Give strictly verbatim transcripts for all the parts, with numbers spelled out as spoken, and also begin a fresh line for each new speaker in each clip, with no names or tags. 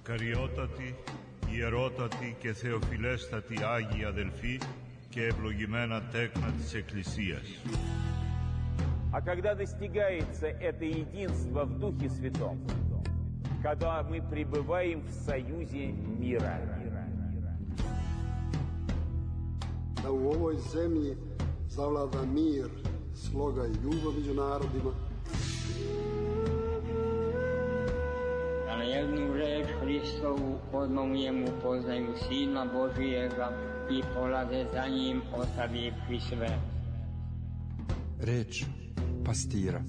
Μακαριότατοι, ιερότατοι και θεοφιλέστατοι Άγιοι αδελφοί και ευλογημένα τέκνα της Εκκλησίας.
А когда достигается это единство в Духе Святом, когда мы пребываем в союзе мира.
Da u ovoj zemlji zavlada mir, sloga i ljubav među narodima.
Da na jednu reč Hristovu odmah u njemu poznaju Sina Božijega i polaze za njim ostavivši sve.
Reč pastira.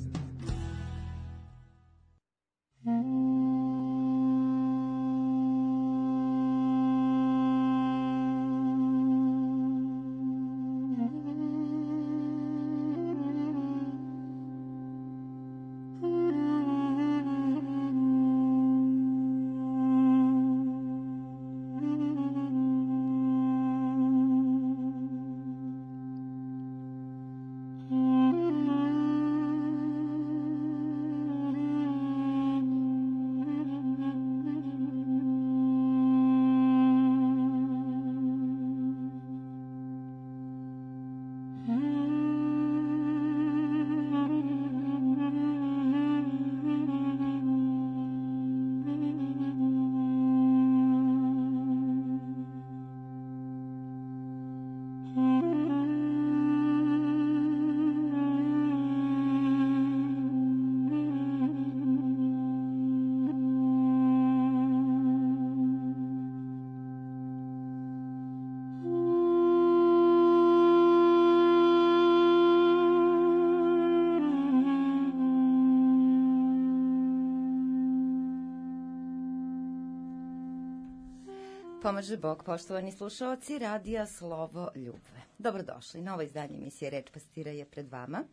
Pomaže Bog, poštovani slušalci Radija Slovo Ljubve. Dobrodošli, novo izdanje emisije Reč pastira je pred vama.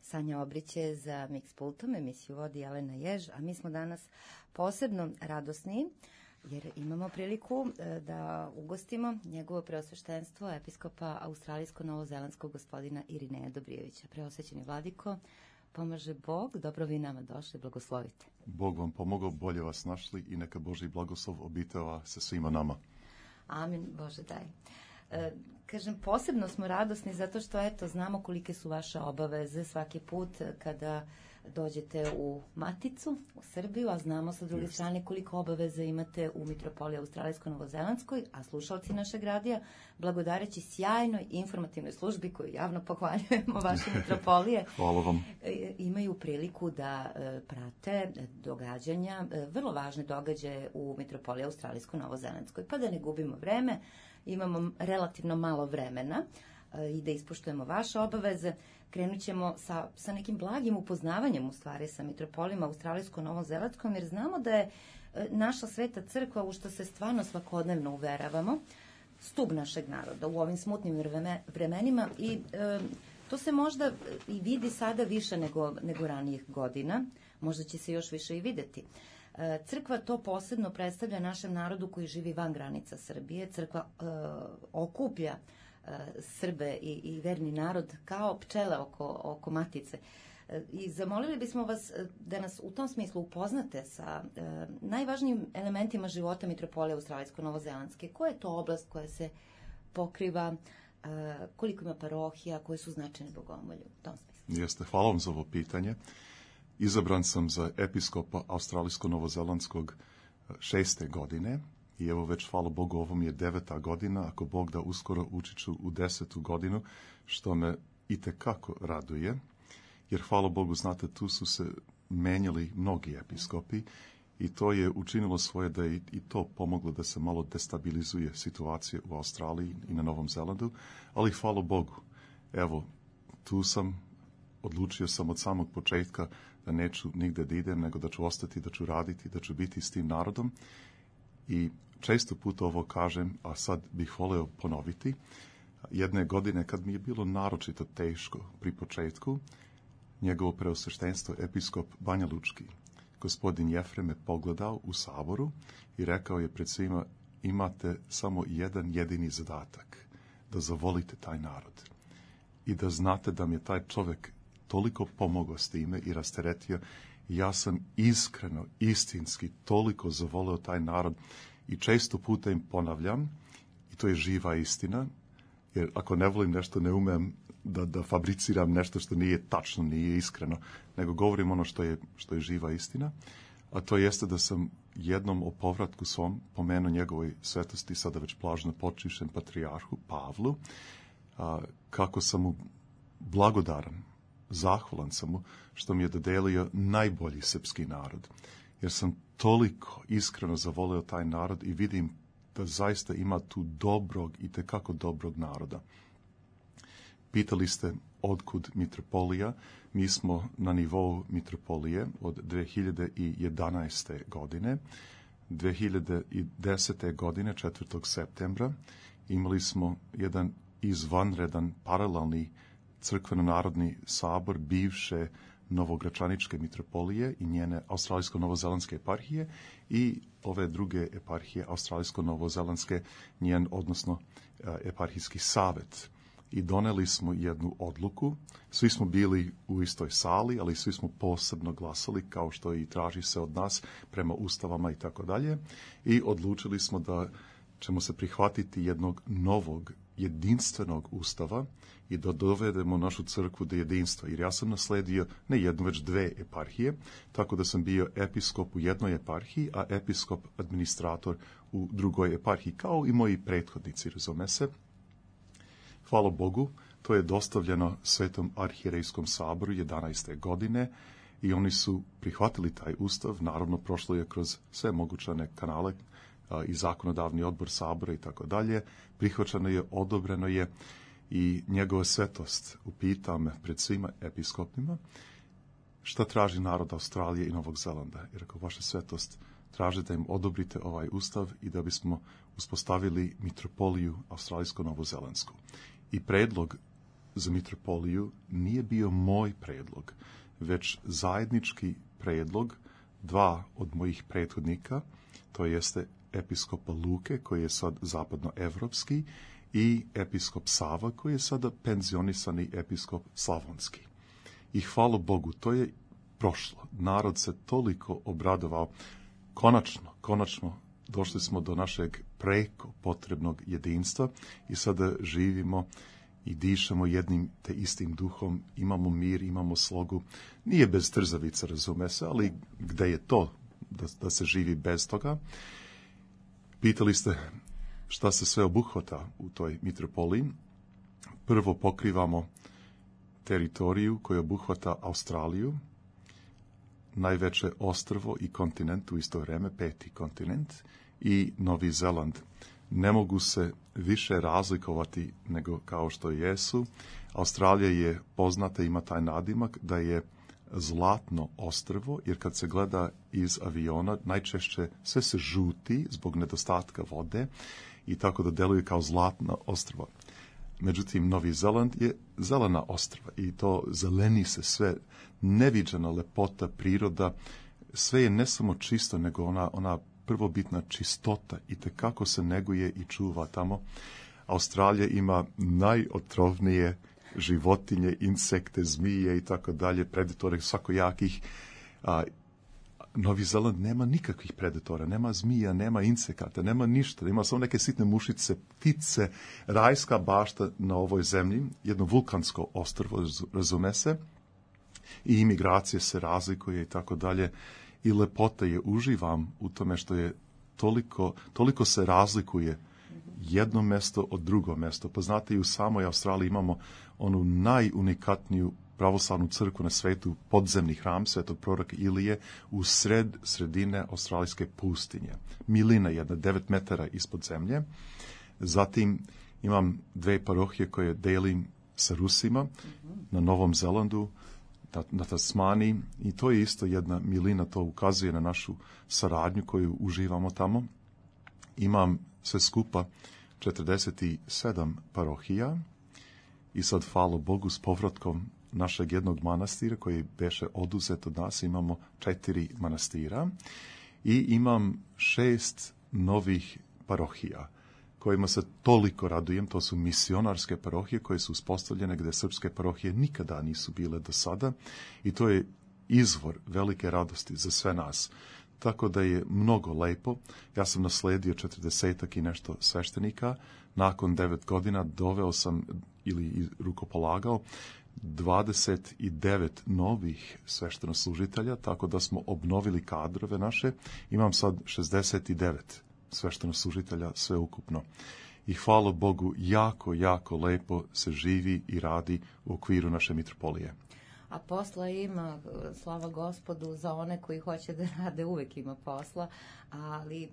Sanja Obrić je za Mix pultom, emisiju vodi Jelena Jež, a mi smo danas posebno radosni jer imamo priliku da ugostimo njegovo preosveštenstvo episkopa australijsko-novozelandskog gospodina Irineja Dobrijevića. Preosvećeni vladiko, pomaže Bog, dobro vi nama došli, blagoslovite.
Bog vam pomogao, bolje vas našli i neka Božji blagoslov obitava sa svima nama.
Amin, Bože daj. E, kažem, posebno smo radosni zato što, eto, znamo kolike su vaše obaveze svaki put kada dođete u Maticu, u Srbiju, a znamo sa druge strane koliko obaveza imate u Mitropoliji Australijsko-Novozelandskoj, a slušalci našeg radija, blagodareći sjajnoj informativnoj službi koju javno pohvaljujemo vaše mitropolije,
hvala vam,
imaju priliku da prate događanja, vrlo važne događaje u Mitropoliji Australijsko-Novozelandskoj. Pa da ne gubimo vreme, imamo relativno malo vremena i da ispoštujemo vaše obaveze, krenut ćemo sa, sa nekim blagim upoznavanjem u stvari sa mitropolijom Australijsko-Novozelandskom, jer znamo da je naša sveta crkva, u što se stvarno svakodnevno uveravamo, stub našeg naroda u ovim smutnim vremenima i e, to se možda i vidi sada više nego, nego ranijih godina, možda će se još više i videti. E, crkva to posebno predstavlja našem narodu koji živi van granica Srbije. Crkva e, okuplja Srbe i, i verni narod kao pčele oko, oko matice. I zamolili bismo vas da nas u tom smislu upoznate sa e, najvažnijim elementima života Mitropolije Australijsko-Novozelandske. Koja je to oblast koja se pokriva, e, koliko ima parohija, koje su značajne bogomolju u tom smislu?
Jeste, hvala vam za ovo pitanje. Izabran sam za episkopa Australijsko-Novozelandskog šeste godine. I evo već, hvala Bogu, ovo mi je deveta godina, ako Bog da uskoro ući ću u desetu godinu, što me itekako raduje, jer hvala Bogu, znate, tu su se menjali mnogi episkopi i to je učinilo svoje da je i to pomoglo da se malo destabilizuje situacija u Australiji i na Novom Zelandu, ali hvala Bogu, evo, tu sam, odlučio sam od samog početka da neću nigde da idem, nego da ću ostati, da ću raditi, da ću biti s tim narodom. I često puta ovo kažem, a sad bih voleo ponoviti. Jedne godine kad mi je bilo naročito teško pri početku, njegovo preosveštenstvo episkop Banja Lučki, gospodin Jefrem, me pogledao u saboru i rekao je pred svima: imate samo jedan jedini zadatak, da zavolite taj narod i da znate da mi je taj čovek toliko pomogao s time i rasteretio. Ja sam iskreno, istinski toliko zavoleo taj narod i često puta im ponavljam, i to je živa istina, jer ako ne volim nešto, ne umem da, da fabriciram nešto što nije tačno, nije iskreno, nego govorim ono što je, što je živa istina, a to jeste da sam jednom o povratku svom pomenuo njegovoj svetosti, sada već blažno počivšem patrijarhu Pavlu, a, kako sam mu blagodaran, zahvalan sam mu što mi je dodelio najbolji srpski narod, jer sam toliko iskreno zavoleo taj narod i vidim da zaista ima tu dobrog i tekako dobrog naroda. Pitali ste otkud mitropolija. Mi smo na nivou mitropolije od dve hiljade jedanaeste. godine. dve hiljade desete. godine, četvrtog septembra, imali smo jedan izvanredan paralelni crkveno-narodni sabor bivše Novogračaničke mitropolije i njene australijsko-novozelandske eparhije i ove druge eparhije australijsko-novozelandske, njen, odnosno eparhijski savet. I doneli smo jednu odluku. Svi smo bili u istoj sali, ali svi smo posebno glasali, kao što i traži se od nas prema ustavama i tako dalje. I odlučili smo da ćemo se prihvatiti jednog novog, jedinstvenog ustava i da dovedemo našu crkvu do jedinstva. Jer ja sam nasledio ne jednu, već dve eparhije, tako da sam bio episkop u jednoj eparhiji, a episkop administrator u drugoj eparhiji, kao i moji prethodnici, razume se. Hvala Bogu, to je dostavljeno Svetom arhijerejskom saboru jedanaeste. godine i oni su prihvatili taj ustav. Naravno, prošlo je kroz sve mogućane kanale a, i zakonodavni odbor sabora i tako dalje. Prihvaćeno je, odobreno je i njegova svetost upita me pred svima episkopima šta traži narod Australije i Novog Zelanda. Jer ako vaša svetost traži da im odobrite ovaj ustav i da bismo uspostavili mitropoliju australijsko-novozelandsku. I predlog za mitropoliju nije bio moj predlog, već zajednički predlog dva od mojih prethodnika, to jeste episkopa Luke, koji je sad zapadnoevropski, i episkop Sava, koji je sada penzionisani episkop slavonski. I hvala Bogu, to je prošlo. Narod se toliko obradovao. Konačno, konačno došli smo do našeg preko potrebnog jedinstva i sada živimo i dišemo jednim te istim duhom, imamo mir, imamo slogu. Nije bez trzavica, razume se, ali gde je to da, da se živi bez toga? Pitali ste šta se sve obuhvata u toj mitropoliji. Prvo pokrivamo teritoriju koja obuhvata Australiju, najveće ostrvo i kontinent u isto vreme, peti kontinent, i Novi Zeland. Ne mogu se više razlikovati nego kao što jesu. Australija je poznata, ima taj nadimak da je zlatno ostrvo, jer kad se gleda iz aviona, najčešće sve se žuti zbog nedostatka vode i tako da deluje kao zlatno ostrvo. Međutim, Novi Zeland je zelena ostrva i to zeleni se sve, neviđena lepota, priroda, sve je ne samo čisto, nego ona, ona prvobitna čistota i tekako se neguje i čuva tamo. Australija ima najotrovnije životinje, insekte, zmije i tako dalje, predatore svakojakih. A, Novi Zeland nema nikakvih predatora, nema zmija, nema insekata, nema ništa, ima samo neke sitne mušice, ptice, rajska bašta na ovoj zemlji, jedno vulkansko ostrvo, razume se, i imigracije se razlikuje i tako dalje, i lepota je, uživam u tome što je toliko, toliko se razlikuje jedno mesto od drugo mesto. Pa znate, i u samoj Australiji imamo onu najunikatniju pravoslavnu crkvu na svetu, podzemni hram svetog proroka Ilije u sred sredine australijske pustinje. Milina jedna, devet metara ispod zemlje. Zatim imam dve parohije koje delim sa Rusima na Novom Zelandu, na, na Tasmaniji, i to je isto jedna milina, to ukazuje na našu saradnju koju uživamo tamo. Imam sve skupa četrdeset sedam parohija i sad, hvala Bogu, s povratkom našeg jednog manastira koji beše oduzet od nas, imamo četiri manastira i imam šest novih parohija. kojima se toliko radujem, to su misionarske parohije koje su uspostavljene gde srpske parohije nikada nisu bile do sada i to je izvor velike radosti za sve nas. Tako da je mnogo lepo. Ja sam nasledio četrdesetak i nešto sveštenika. Nakon devet godina doveo sam ili rukopolagao dvadeset devet novih sveštenoslužitelja, tako da smo obnovili kadrove naše. Imam sad šezdeset devet sveštenoslužitelja sve ukupno. I hvala Bogu, jako, jako lepo se živi i radi u okviru naše mitropolije.
A posla ima, slava Gospodu, za one koji hoće da rade, uvek ima posla, ali e,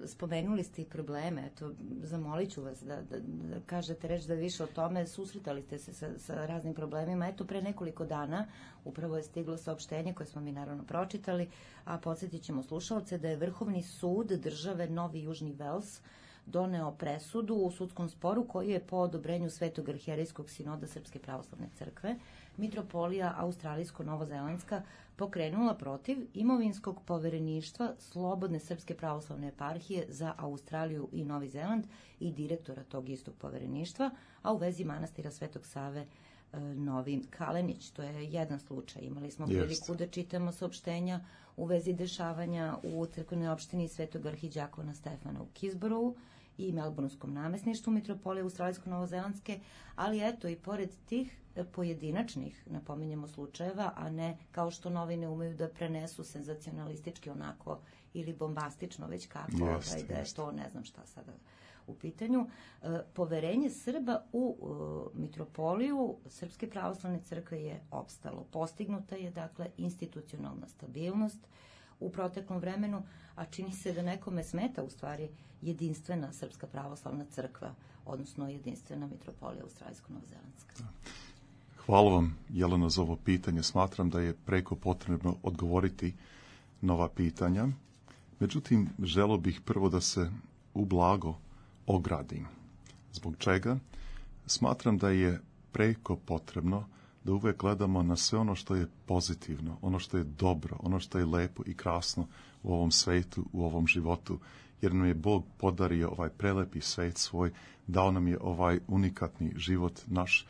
spomenuli ste i probleme, eto, zamolit ću vas da, da, da kažete reč da više o tome, susretali ste se sa, sa raznim problemima, eto, pre nekoliko dana upravo je stiglo saopštenje koje smo mi naravno pročitali, a podsjetit ćemo slušalce da je Vrhovni sud države Novi Južni Vels doneo presudu u sudskom sporu koji je po odobrenju Svetog arhijerejskog sinoda Srpske pravoslavne crkve mitropolija Australijsko-Novozelandska pokrenula protiv imovinskog povereništva Slobodne Srpske pravoslavne eparhije za Australiju i Novi Zeland i direktora tog istog povereništva, a u vezi manastira Svetog Save e, Novi Kalenić. To je jedan slučaj. Imali smo priliku da čitamo saopštenja u vezi dešavanja u crkvenoj opštini Svetog arhiđakona Stefana u Kisborovu i Melbournskom namesništvu mitropolije Australijsko-Novozelandske, ali eto i pored tih pojedinačnih, napominjemo, slučajeva, a ne kao što novine umeju da prenesu senzacionalistički onako ili bombastično, već kako,
Jest,
ovaj, da je
jest.
to ne znam šta sada u pitanju. E, poverenje Srba u e, mitropoliju Srpske pravoslavne crkve je opstalo. Postignuta je, dakle, institucionalna stabilnost u proteklom vremenu, a čini se da nekome smeta u stvari jedinstvena Srpska pravoslavna crkva, odnosno jedinstvena mitropolija Australijsko-Novozelandska.
Hvala vam, Jelena, za ovo pitanje. Smatram da je preko potrebno odgovoriti na ova pitanja. Međutim, želeo bih prvo da se ublago ogradim. Zbog čega? Smatram da je preko potrebno da uvek gledamo na sve ono što je pozitivno, ono što je dobro, ono što je lepo i krasno u ovom svetu, u ovom životu, jer nam je Bog podario ovaj prelepi svet svoj, dao nam je ovaj unikatni život naš.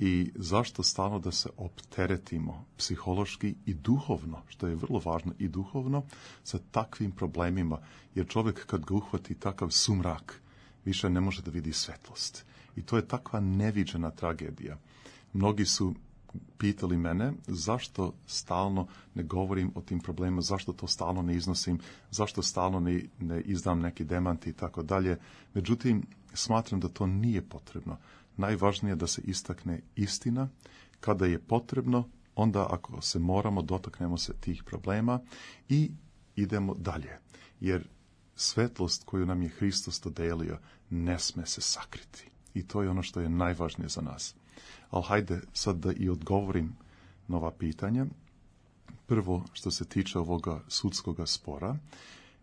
I zašto stalno da se opteretimo psihološki i duhovno, što je vrlo važno, i duhovno, sa takvim problemima, jer čovjek kad ga uhvati takav sumrak, više ne može da vidi svetlost. I to je takva neviđena tragedija. Mnogi su pitali mene zašto stalno ne govorim o tim problemima, zašto to stalno ne iznosim, zašto stalno ne, ne izdam neki demanti i tako dalje. Međutim, smatram da to nije potrebno. Najvažnije je da se istakne istina. Kada je potrebno, onda ako se moramo, dotaknemo se tih problema i idemo dalje. Jer svetlost koju nam je Hristos dodelio ne sme se sakriti. I to je ono što je najvažnije za nas. Ali hajde sad da i odgovorim na ova pitanja. Prvo, što se tiče ovoga sudskoga spora,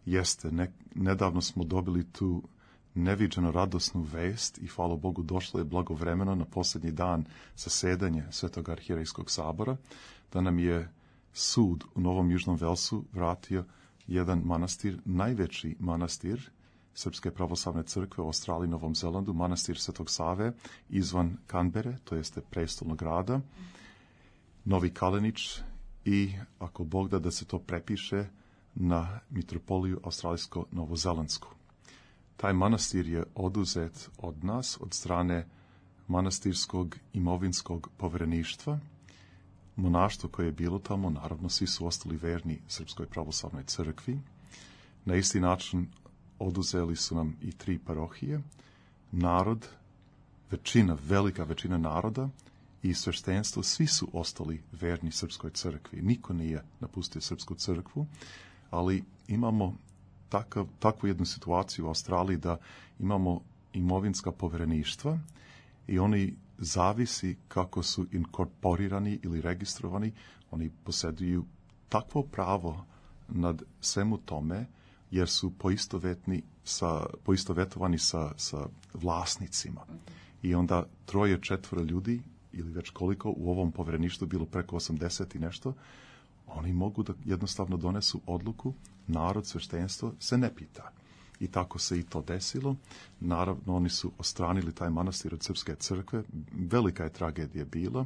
jeste, ne, nedavno smo dobili tu neviđeno radosnu vest i hvala Bogu došlo je blagovremeno na posljednji dan zasedanja Svetog arhijerejskog sabora, da nam je sud u Novom Južnom Velsu vratio jedan manastir, najveći manastir Srpske pravoslavne crkve u Australiji i Novom Zelandu, manastir Svetog Save izvan Kanbere, to jeste prestolnog grada, Novi Kalenić, i ako Bog da da se to prepiše na mitropoliju Australijsko-Novozelandsku. Taj manastir je oduzet od nas, od strane manastirskog imovinskog povereništva. Monaštvo koje je bilo tamo, naravno svi su ostali verni Srpskoj pravoslavnoj crkvi. Na isti način oduzeli su nam i tri parohije. Narod, većina, velika većina naroda i sveštenstvo, svi su ostali verni Srpskoj crkvi. Niko nije napustio Srpsku crkvu, ali imamo takav, takvu jednu situaciju u Australiji da imamo imovinska povereništva i oni zavisi kako su inkorporirani ili registrovani, oni posjeduju takvo pravo nad svemu tome, jer su poistovetni sa, poistovetovani sa, sa vlasnicima. I onda troje, četvoro ljudi, ili već koliko, u ovom povereništvu bilo preko osamdeset i nešto, oni mogu da jednostavno donesu odluku, narod, sveštenstvo se ne pita. i tako se i to desilo. Naravno, oni su ostranili taj manastir od Srpske crkve. Velika je tragedija bila.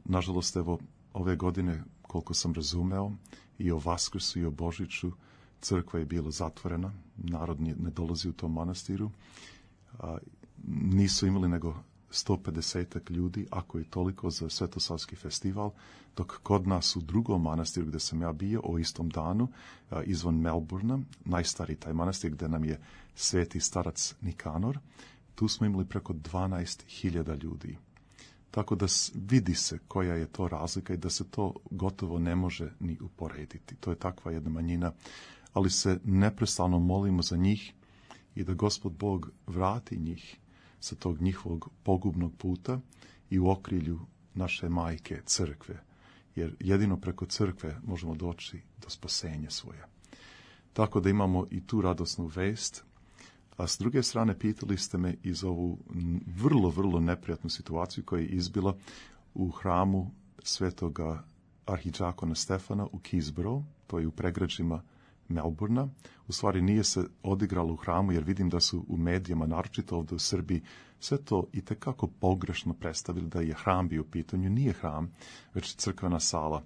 Nažalost, evo, ove godine, koliko sam razumeo, i o Vaskrsu i o Božiću, crkva je bila zatvorena. Narod ne dolazi u tom manastiru. A, nisu imali nego sto pedeset ljudi, ako je toliko, za Svetosavski festival, dok kod nas u drugom manastiru gde sam ja bio, o istom danu, izvan Melbourna, najstariji taj manastir gde nam je sveti starac Nikanor, tu smo imali preko dvanaest hiljada ljudi. Tako da vidi se koja je to razlika i da se to gotovo ne može ni uporediti. To je takva jedna manjina, ali se neprestano molimo za njih i da Gospod Bog vrati njih sa tog njihovog pogubnog puta i u okrilju naše majke crkve, jer jedino preko crkve možemo doći do spasenja svoje. Tako da imamo i tu radosnu vest, a s druge strane pitali ste me i za ovu vrlo, vrlo neprijatnu situaciju koja je izbila u hramu svetoga arhidžakona Stefana u Keysborough, to je u pregrađima Melbourna. U stvari nije se odigralo u hramu, jer vidim da su u medijama, naročito ovdje u Srbiji, sve to i tekako pogrešno predstavili da je hram bio u pitanju. Nije hram, već crkvena sala.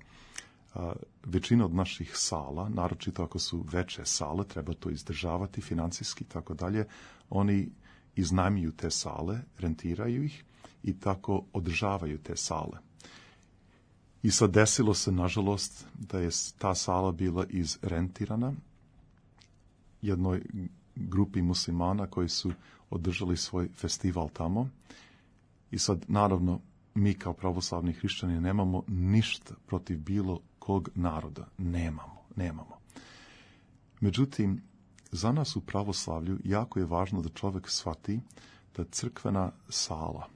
A, većina od naših sala, naročito ako su veće sale, treba to izdržavati financijski i tako dalje, oni iznajmljuju te sale, rentiraju ih i tako održavaju te sale. I sad desilo se, nažalost, da je ta sala bila izrentirana jednoj grupi muslimana koji su održali svoj festival tamo. I sad, naravno, mi kao pravoslavni hrišćani nemamo ništa protiv bilo kog naroda. Nemamo, nemamo. Međutim, za nas u pravoslavlju jako je važno da čovjek shvati da crkvena sala,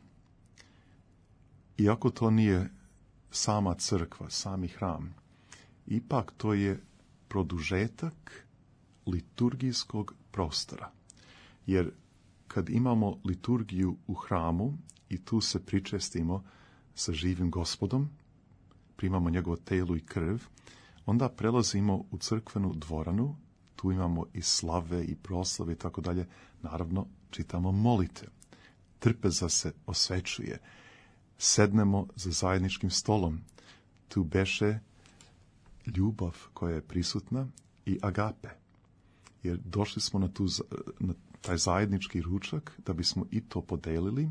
iako to nije sama crkva, sami hram, ipak to je produžetak liturgijskog prostora. Jer kad imamo liturgiju u hramu i tu se pričestimo sa živim Gospodom, primamo njegovo telo i krv, onda prelazimo u crkvenu dvoranu, tu imamo i slave i proslave i tako dalje, naravno čitamo molitve, trpeza se osvećuje, sednemo za zajedničkim stolom, tu beše ljubav koja je prisutna i agape, jer došli smo na, tu, na taj zajednički ručak da bismo i to podelili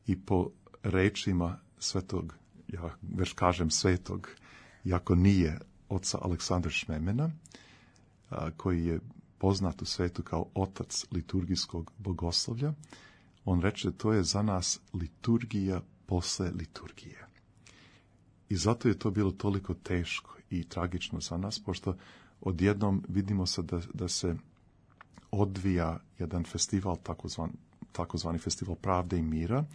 i po rečima svetog, ja već kažem svetog, iako nije oca Aleksandra Šmemena, a, koji je poznat u svetu kao otac liturgijskog bogoslovlja, on reče to je za nas liturgija posle liturgije. I zato je to bilo toliko teško i tragično za nas, pošto odjednom vidimo se da, da se odvija jedan festival, takozvan, takozvani festival pravde i mira,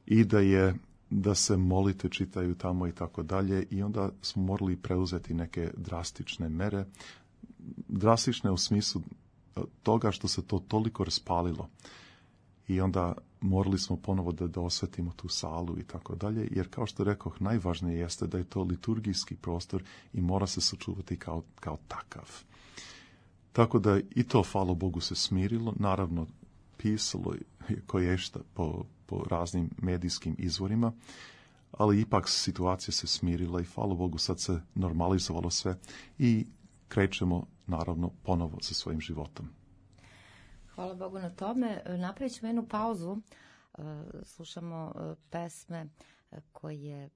i da je da se molite čitaju tamo i tako dalje, i onda smo morali preuzeti neke drastične mere, drastične u smislu toga što se to toliko raspalilo. I onda morali smo ponovo da, da osvetimo tu salu i tako dalje, jer kao što rekoh, najvažnije jeste da je to liturgijski prostor i mora se sačuvati kao, kao takav. Tako da i to, hvala Bogu, se smirilo. Naravno, pisalo je koješta po, po raznim medijskim izvorima, ali ipak situacija se smirila i hvala Bogu sad se normalizovalo sve i krećemo naravno ponovo sa svojim životom.
Hvala Bogu na tome. Napravit ćemo jednu pauzu. Slušamo pesme koje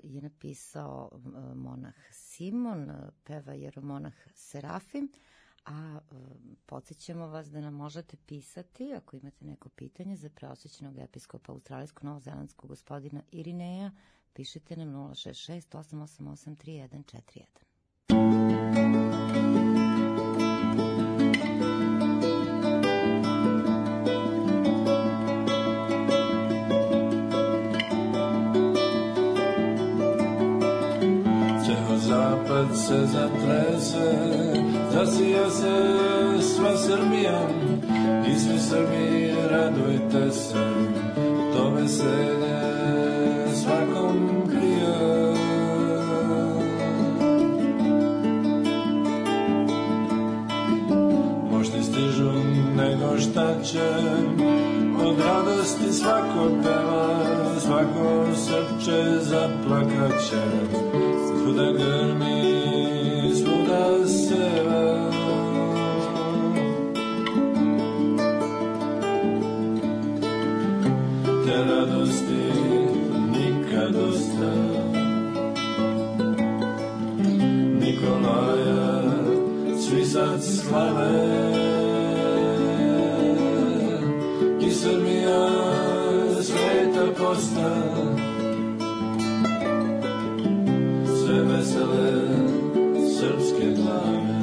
je napisao monah Simon, peva jeromonah Serafim, a podsjećamo vas da nam možete pisati ako imate neko pitanje za preosvećenog episkopa australijsko-novozelandskog gospodina Irineja. Pišite nam nula šest šest osam osam osam tri jedan četiri jedan.
Zapad se zatrese, zasija se sva Srbija, i svi Srbi radujte se, to veselje svakom prija. ustaćem, od radosti svako peva, svako srce zaplakaće, svuda grmi, svuda seva. Te radosti nikad dosta, Nikolaja svi sad slave, i Srbija sveta posta, sve vesele srpske glave.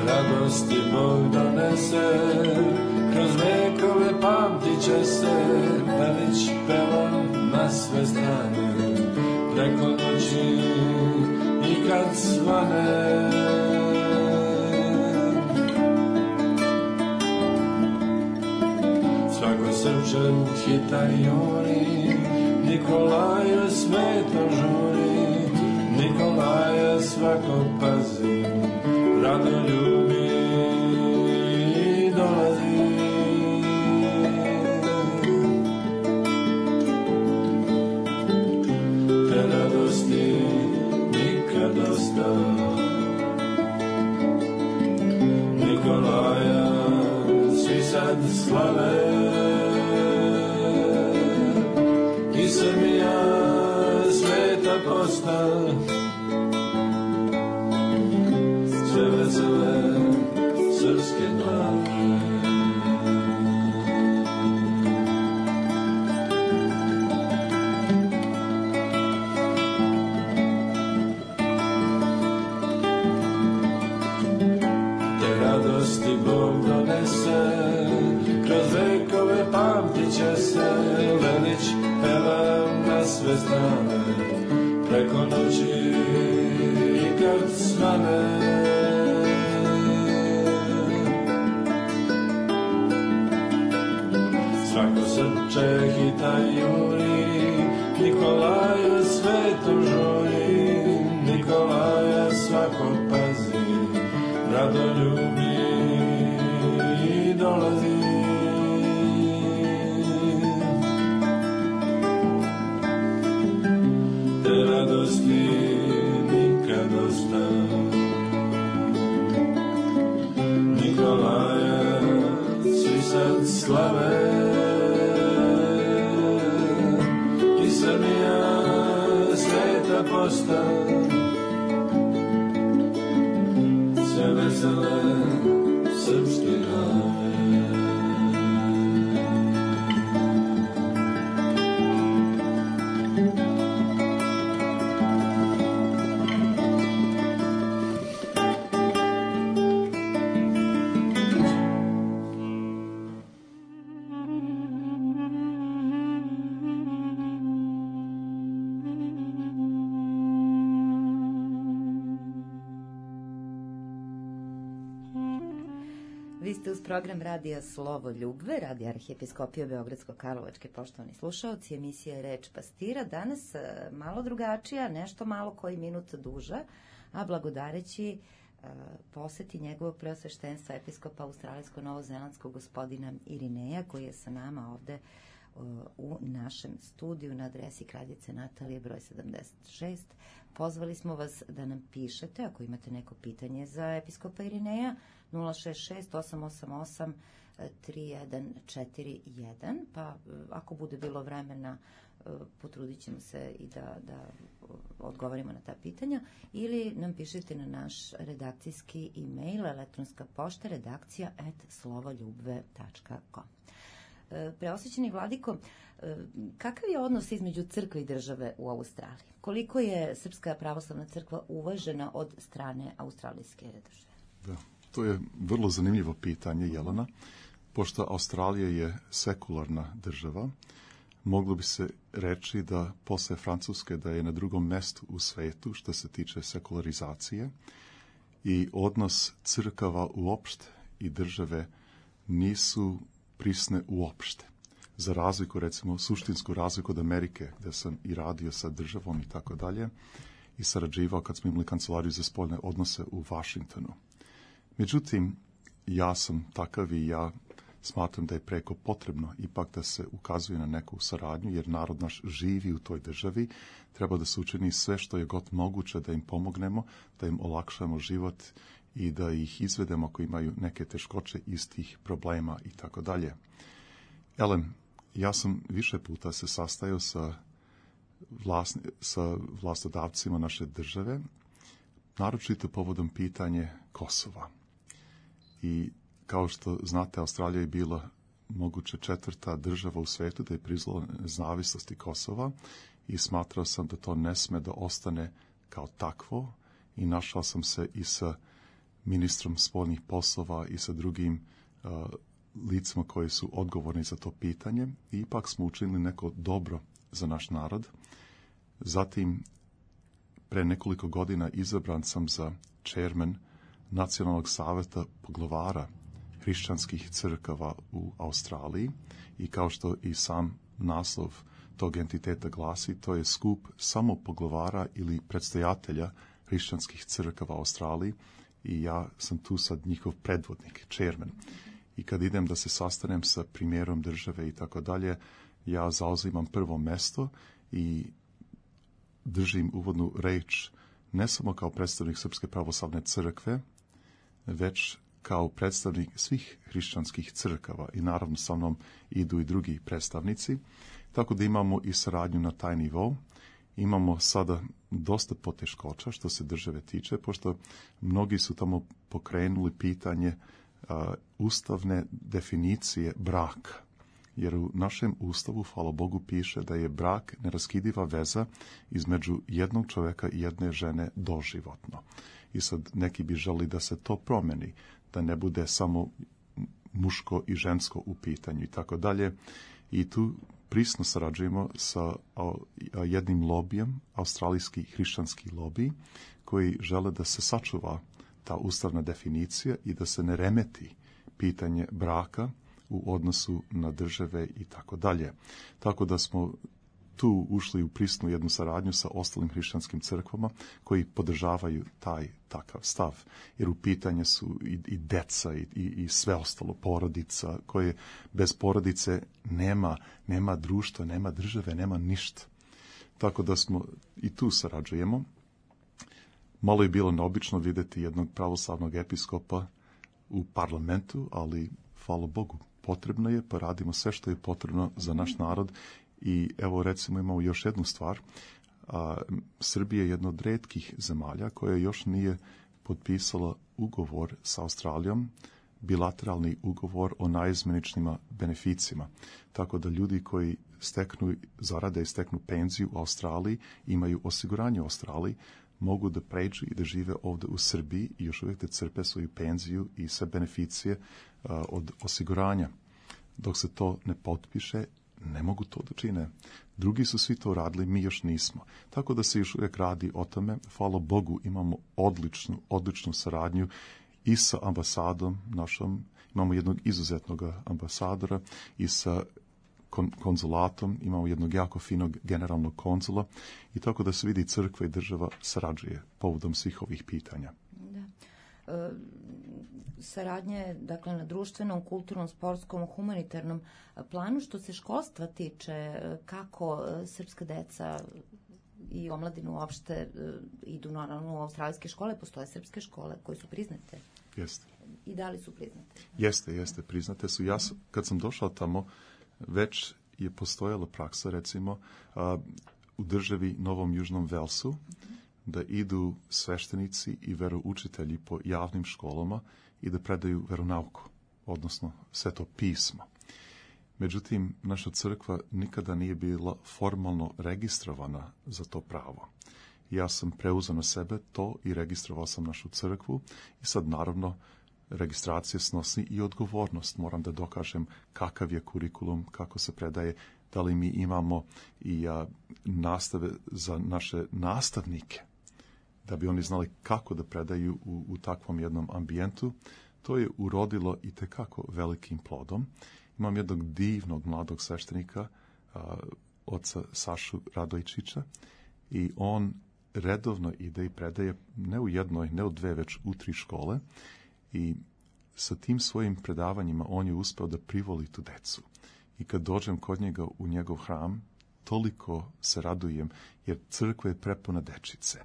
Radosti Bog donese, kroz vekove pamtit će se, velič pevam na sve strane, preko noći i kad svane. Svako srčan hita juri, Nikolaja sveto žuri, Nikolaja svako pazi, rado ljubi i dolazi. Te radosti nikad dosta, Nikolaja svi sad slave, i Srbija sveta posta, sve vesele srpske glave. Te radosti Bog donese, kroz vekove pamtit će se, velič pevam na sve strane, preko noći i kad svane. Svako srce hita juri, Nikolaja sveto žuri, Nikolaja svako pazi, rado ljubi i dolazi. Te radosti nikad dosta, Nikolaja svi sad slave, i Srbija sveta posta, sve vesele srpske glave.
Vi ste uz program Radija Slovo Ljubve, Radija Arhijepiskopije Beogradsko-Karlovačke, poštovani slušaoci, emisija je Reč pastira. Danas malo drugačija, nešto malo koji minut duža, a blagodareći uh, poseti njegovog preosveštenstva episkopa australijsko-novozelandskog gospodina Irineja, koji je sa nama ovde uh, u našem studiju na adresi Kraljice Natalije broj sedamdeset šest. Pozvali smo vas da nam pišete ako imate neko pitanje za episkopa Irineja, nula šest šest osam osam osam tri jedan četiri jedan, pa ako bude bilo vremena potrudit ćemo se i da, da odgovorimo na ta pitanja, ili nam pišete na naš redakcijski e-mail, elektronska pošta redakcija at slovoljubve tačka com. Preosvećeni vladiko, kakav je odnos između crkve i države u Australiji? Koliko je Srpska pravoslavna crkva uvažena od strane australijske države?
Da, to je vrlo zanimljivo pitanje, Jelena. Pošto Australija je sekularna država, moglo bi se reći da posle Francuske da je na drugom mestu u svetu što se tiče sekularizacije i odnos crkava uopšte i države nisu prisne uopšte. za razliku, recimo suštinsku razliku od Amerike, gdje sam i radio sa državom i tako dalje, i sarađivao kad smo imali kancelariju za spoljne odnose u Vašingtonu. Međutim, ja sam takav i ja smatram da je preko potrebno ipak da se ukazuje na neku saradnju, jer narod naš živi u toj državi, treba da se učini sve što je god moguće da im pomognemo, da im olakšamo život i da ih izvedemo ako imaju neke teškoće iz tih problema i tako dalje. Elem, ja sam više puta se sastajao sa, vlasni, sa vlastodavcima naše države, naročito povodom pitanje Kosova. I kao što znate, Australija je bila moguće četvrta država u svetu da je priznala nezavisnosti Kosova i smatrao sam da to ne sme da ostane kao takvo i našao sam se i sa ministrom spoljnih poslova i sa drugim uh, licima koji su odgovorni za to pitanje i ipak smo učinili neko dobro za naš narod. Zatim, pre nekoliko godina izabran sam za chairman Nacionalnog saveta poglavara hrišćanskih crkava u Australiji i kao što i sam naslov tog entiteta glasi, to je skup samo poglavara ili predstojatelja hrišćanskih crkava u Australiji i ja sam tu sad njihov predvodnik, chairman. I kad idem da se sastanem sa premijerom države i tako dalje, ja zauzimam prvo mesto i držim uvodnu reč ne samo kao predstavnik Srpske pravoslavne crkve, već kao predstavnik svih hrišćanskih crkava i naravno sa mnom idu i drugi predstavnici, tako da imamo i saradnju na taj nivou. Imamo sada dosta poteškoća što se države tiče, pošto mnogi su tamo pokrenuli pitanje a, ustavne definicije braka. Jer u našem ustavu, hvala Bogu, piše da je brak neraskidiva veza između jednog čovjeka i jedne žene doživotno. I sad neki bi želi da se to promeni, da ne bude samo muško i žensko u pitanju i tako dalje. I tu prisno sarađujemo sa jednim lobijem, australijski hrišćanski lobij, koji žele da se sačuva ta ustavna definicija i da se ne remeti pitanje braka u odnosu na države i tako dalje. Tako da smo tu ušli u prisnu jednu saradnju sa ostalim hrišćanskim crkvama koji podržavaju taj takav stav. Jer u pitanje su i, i deca i, i, i sve ostalo, porodica, koje bez porodice nema, nema društva, nema države, nema ništa. Tako da smo i tu sarađujemo. Malo je bilo neobično vidjeti jednog pravoslavnog episkopa u parlamentu, ali hvala Bogu, potrebno je, pa radimo sve što je potrebno za naš narod. I evo recimo imamo još jednu stvar. A, Srbija je jedna od retkih zemalja koja još nije potpisala ugovor sa Australijom, bilateralni ugovor o najizmeničnima beneficima. Tako da ljudi koji steknu zarade i steknu penziju u Australiji, imaju osiguranje u Australiji, mogu da pređu i da žive ovdje u Srbiji i još uvijek da crpe svoju penziju i sve beneficije a, od osiguranja. Dok se to ne potpiše, ne mogu to da čine. Drugi su svi to radili, mi još nismo. Tako da se još uvijek radi o tome. Hvala Bogu, imamo odličnu, odličnu saradnju i sa ambasadom našom. Imamo jednog izuzetnog ambasadora i sa kon- konzulatom. Imamo jednog jako finog generalnog konzula. I tako da se vidi crkva i država sarađuje povodom svih ovih pitanja.
Da. E, saradnje, dakle, na društvenom, kulturnom, sportskom, humanitarnom planu. Što se školstva tiče, kako srpska deca i omladinu uopšte idu naravno u australijske škole, postoje srpske škole koje su priznate?
Jeste.
I da li su priznate?
Jeste, jeste, priznate su. Ja sam, kad sam došao tamo, već je postojala praksa, recimo, a, u državi Novom Južnom Velsu, mm-hmm. da idu sveštenici i veroučitelji po javnim školama i da predaju veronauku, odnosno sveto pismo. Međutim, naša crkva nikada nije bila formalno registrovana za to pravo. Ja sam preuzeo na sebe to i registrovao sam našu crkvu i sad naravno registracija snosi i odgovornost. Moram da dokažem kakav je kurikulum, kako se predaje, da li mi imamo i a, nastave za naše nastavnike, da bi oni znali kako da predaju u, u takvom jednom ambijentu, to je urodilo i tekako velikim plodom. Imam jednog divnog mladog sveštenika, a, oca Sašu Radojčića, i on redovno ide i predaje ne u jednoj, ne u dve, već u tri škole, i sa tim svojim predavanjima on je uspeo da privoli tu decu. I kad dođem kod njega u njegov hram, toliko se radujem, jer crkva je prepuna dečice.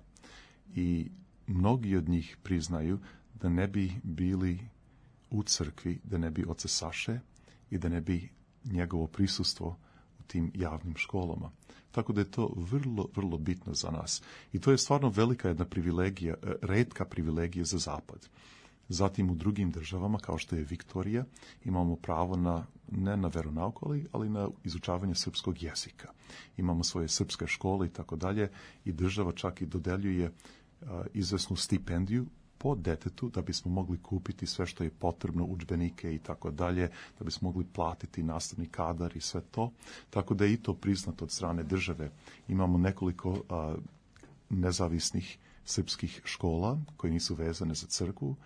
I mnogi od njih priznaju da ne bi bili u crkvi, da ne bi oca Saše i da ne bi njegovo prisustvo u tim javnim školama. Tako da je to vrlo, vrlo bitno za nas. I to je stvarno velika jedna privilegija, retka privilegija za Zapad. Zatim u drugim državama, kao što je Viktorija, imamo pravo na, ne na veronauku, ali na izučavanje srpskog jezika. Imamo svoje srpske škole i tako dalje, i država čak i dodeljuje a, izvesnu stipendiju po detetu da bismo mogli kupiti sve što je potrebno, udžbenike i tako dalje, da bismo mogli platiti nastavni kadar i sve to. Tako da je i to priznato od strane države. Imamo nekoliko a, nezavisnih srpskih škola koje nisu vezane za crkvu,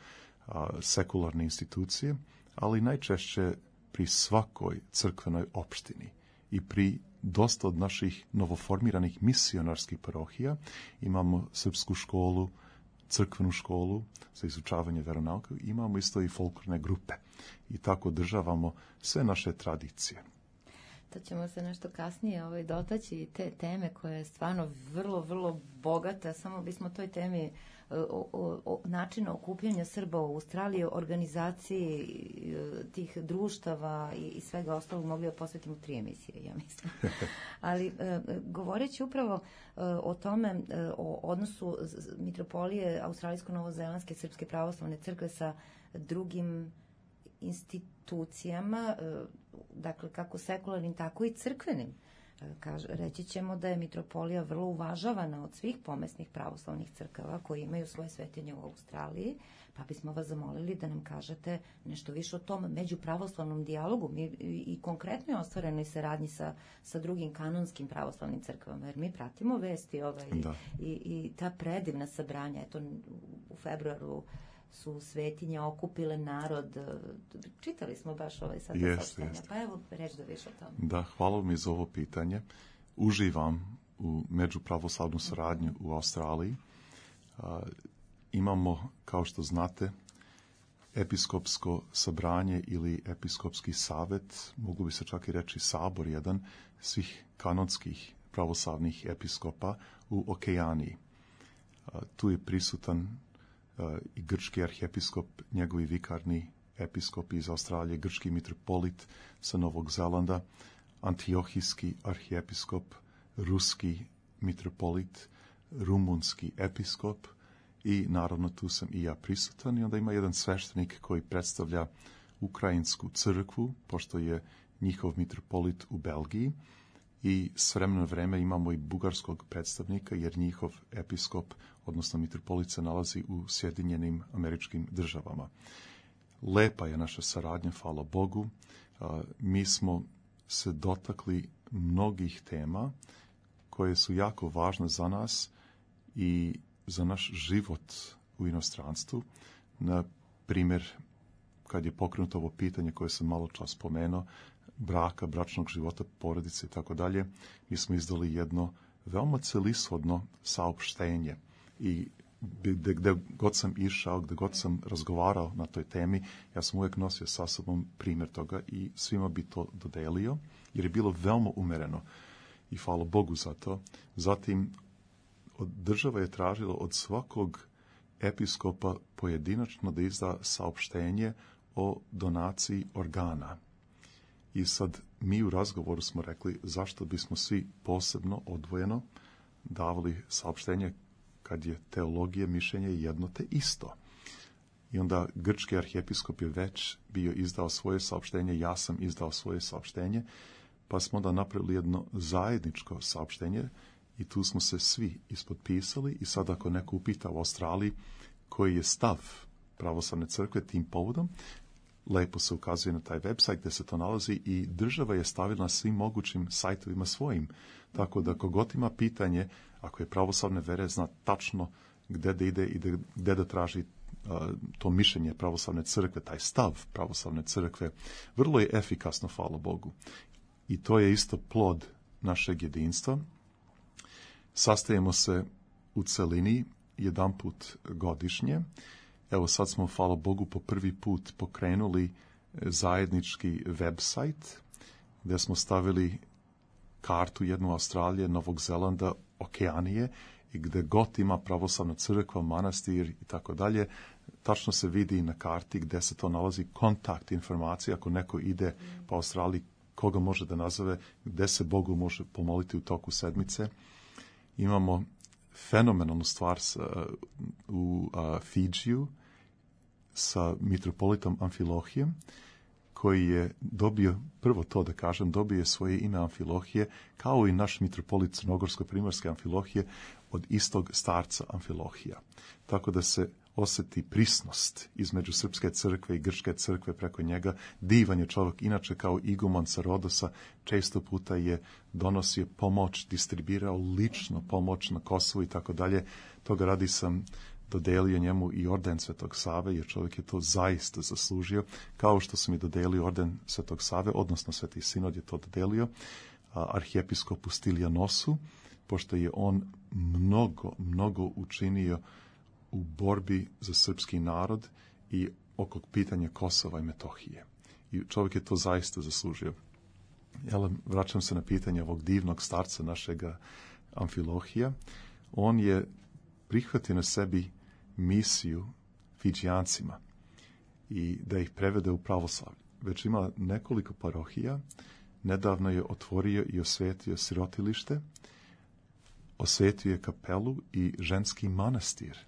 a, sekularne institucije, ali najčešće pri svakoj crkvenoj opštini i pri dosta od naših novoformiranih misionarskih parohija imamo srpsku školu, crkvenu školu za izučavanje veronauke, imamo isto i folklorne grupe i tako održavamo sve naše tradicije.
To ćemo se nešto kasnije ovaj, dotaći te teme koja je stvarno vrlo, vrlo bogata. Samo bismo toj temi o, o, o načinu okupljanja Srba u Australiji, organizaciji tih društava i, i svega ostalog mogli da posvetimo tri emisije, ja mislim. Ali govoreći upravo o tome, o odnosu mitropolije Australijsko-Novozelandske Srpske pravoslavne crkve sa drugim institucijama, dakle kako sekularnim, tako i crkvenim. Kaže, reći ćemo da je mitropolija vrlo uvažavana od svih pomesnih pravoslavnih crkava koji imaju svoje svetinje u Australiji, pa bismo vas zamolili da nam kažete nešto više o tom međupravoslavnom dijalogu mi, i, i konkretnoj ostvarenoj saradnji sa, sa drugim kanonskim pravoslavnim crkvama, jer mi pratimo vesti ovaj, i, i ta predivna sabranja. Eto, u februaru su svetinje okupile narod. Čitali smo baš ovaj sad saopštenja. Pa evo, reći da više o tome.
Da, hvala mi za ovo pitanje. Uživam u međupravoslavnu saradnju u Australiji. A, imamo, kao što znate, episkopsko sabranje ili episkopski savet, mogu bi se čak i reći sabor jedan, svih kanonskih pravoslavnih episkopa u Okeaniji. A, tu je prisutan i grčki arhijepiskop, njegovi vikarni episkop iz Australije, grčki mitropolit sa Novog Zelanda, antiohijski arhijepiskop, ruski mitropolit, rumunski episkop i naravno tu sam i ja prisutan. I onda ima jedan sveštenik koji predstavlja ukrajinsku crkvu, pošto je njihov mitropolit u Belgiji, i s vremena vreme imamo i bugarskog predstavnika, jer njihov episkop, odnosno mitropolit, se nalazi u Sjedinjenim Američkim Državama. Lepa je naša saradnja, hvala Bogu. Mi smo se dotakli mnogih tema koje su jako važne za nas i za naš život u inostranstvu. Na primjer, kad je pokrenuto ovo pitanje koje sam malo čas spomenuo, braka, bračnog života, porodice i tako dalje, mi smo izdali jedno veoma celishodno saopštenje i gde, gde god sam išao, gde god sam razgovarao na toj temi, ja sam uvijek nosio sa sobom primjer toga i svima bi to dodelio, jer je bilo veoma umereno i hvala Bogu za to. Zatim, od država je tražila od svakog episkopa pojedinačno da izda saopštenje o donaciji organa. I sad mi u razgovoru smo rekli zašto bismo svi posebno odvojeno davali saopštenje kad je teologija, mišljenje jedno te isto. I onda grčki arhijepiskop je već bio izdao svoje saopštenje, ja sam izdao svoje saopštenje, pa smo onda napravili jedno zajedničko saopštenje i tu smo se svi ispotpisali i sad ako neko upita u Australiji koji je stav pravoslavne crkve tim povodom, lepo se ukazuje na taj website gdje se to nalazi i država je stavila na svim mogućim sajtovima svojim. Tako da kogod ima pitanje, ako je pravoslavne vere, zna tačno gdje da ide i gdje da traži to mišljenje pravoslavne crkve, taj stav pravoslavne crkve, vrlo je efikasno, hvala Bogu. I to je isto plod našeg jedinstva. Sastajemo se u celini jedanput godišnje. Evo sad smo, hvala Bogu, po prvi put pokrenuli zajednički website gdje smo stavili kartu jednu Australije, Novog Zelanda, Okeanije i gdje god ima pravoslavna crkva, manastir i tako dalje, tačno se vidi na karti gdje se to nalazi, kontakt informacija, ako neko ide po Australiji, koga može da nazove, gdje se Bogu može pomoliti u toku sedmice. Imamo fenomenalnu stvar sa, u a, Fidžiju sa mitropolitom Amfilohijem, koji je dobio, prvo to da kažem, dobio je svoje ime Amfilohije, kao i naš mitropolit Crnogorsko-primorske Amfilohije, od istog starca Amfilohija. Tako da se osjeti prisnost između srpske crkve i grčke crkve preko njega. Divan je čovjek, inače kao iguman sa Rodosa, često puta je donosio pomoć, distribuirao lično pomoć na Kosovu i tako dalje. Toga radi sam dodelio njemu i orden Svetog Save, jer čovjek je to zaista zaslužio, kao što sam i dodelio orden Svetog Save, odnosno Sveti Sinod je to dodelio arhijepiskopu Stilijanosu, pošto je on mnogo, mnogo učinio u borbi za srpski narod i oko pitanja Kosova i Metohije. I čovjek je to zaista zaslužio. Ja vraćam se na pitanje ovog divnog starca našega Amfilohija. On je prihvatio na sebi misiju Fidžijancima i da ih prevede u pravoslavlje. Već ima nekoliko parohija, nedavno je otvorio i osvetio sirotilište, osvetio je kapelu i ženski manastir.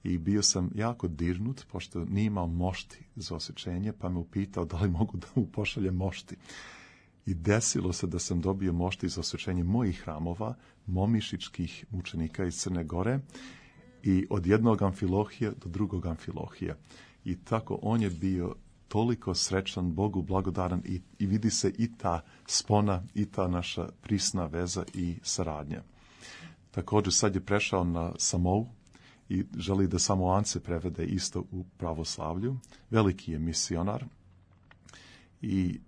I bio sam jako dirnut, pošto nije imao mošti za osvećenje, pa me upitao da li mogu da mu pošaljem mošti. I desilo se da sam dobio mošti za osvećenje mojih hramova, momišičkih mučenika iz Crne Gore, i od jednog Amfilohija do drugog Amfilohija. I tako on je bio toliko srećan, Bogu blagodaran i, i vidi se i ta spona, i ta naša prisna veza i saradnja. Također sad je prešao na Samou i želi da Samoance prevede isto u pravoslavlju. Veliki je misionar i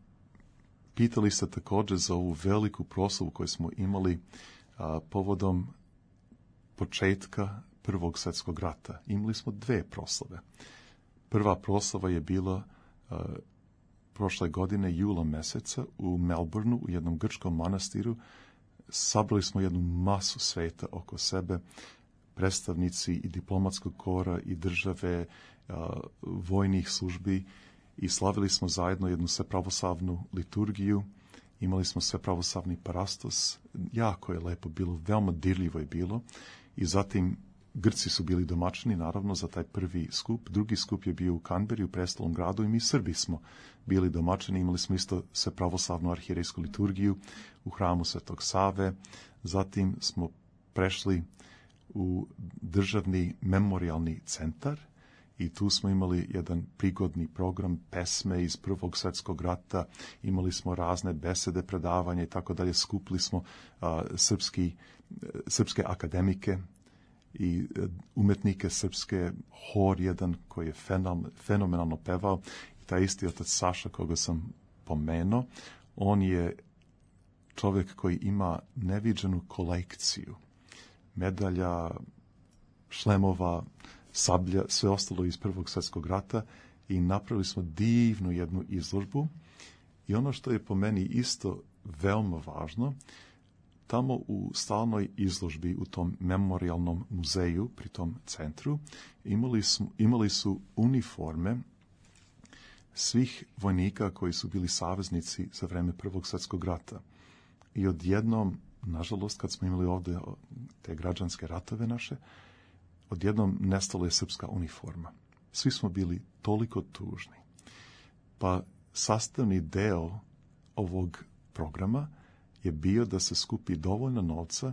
pitali ste također za ovu veliku proslavu koju smo imali a, povodom početka Prvog svjetskog rata. Imali smo dve proslave. Prva proslava je bila a, prošle godine jula meseca u Melbourneu, u jednom grčkom manastiru. Sabrali smo jednu masu sveta oko sebe, predstavnici i diplomatskog kora i države, a, vojnih službi, i slavili smo zajedno jednu svepravoslavnu liturgiju. Imali smo svepravoslavni parastos. Jako je lepo bilo, veoma dirljivo je bilo. I zatim Grci su bili domaćini, naravno, za taj prvi skup. Drugi skup je bio u Canberri, u prestolnom gradu, i mi Srbi smo bili domaćini. Imali smo isto svepravoslavnu arhijerejsku liturgiju u hramu Svetog Save. Zatim smo prešli u državni memorialni centar i tu smo imali jedan prigodni program, pesme iz Prvog svjetskog rata, imali smo razne besede, predavanja i tako dalje. Skupili smo a, srpski, srpske akademike i umetnike srpske, hor jedan koji je fenomenalno pevao. I taj isti otac Saša koga sam pomenuo, on je čovjek koji ima neviđenu kolekciju medalja, šlemova, sablja, sve ostalo iz Prvog svjetskog rata, i napravili smo divnu jednu izložbu. I ono što je po meni isto veoma važno, tamo u stalnoj izložbi u tom memorialnom muzeju pri tom centru imali su, imali su uniforme svih vojnika koji su bili saveznici za vreme Prvog svjetskog rata. I odjednom, nažalost, kad smo imali ovdje te građanske ratove naše, odjednom nestala je srpska uniforma. Svi smo bili toliko tužni. Pa sastavni deo ovog programa je bio da se skupi dovoljno novca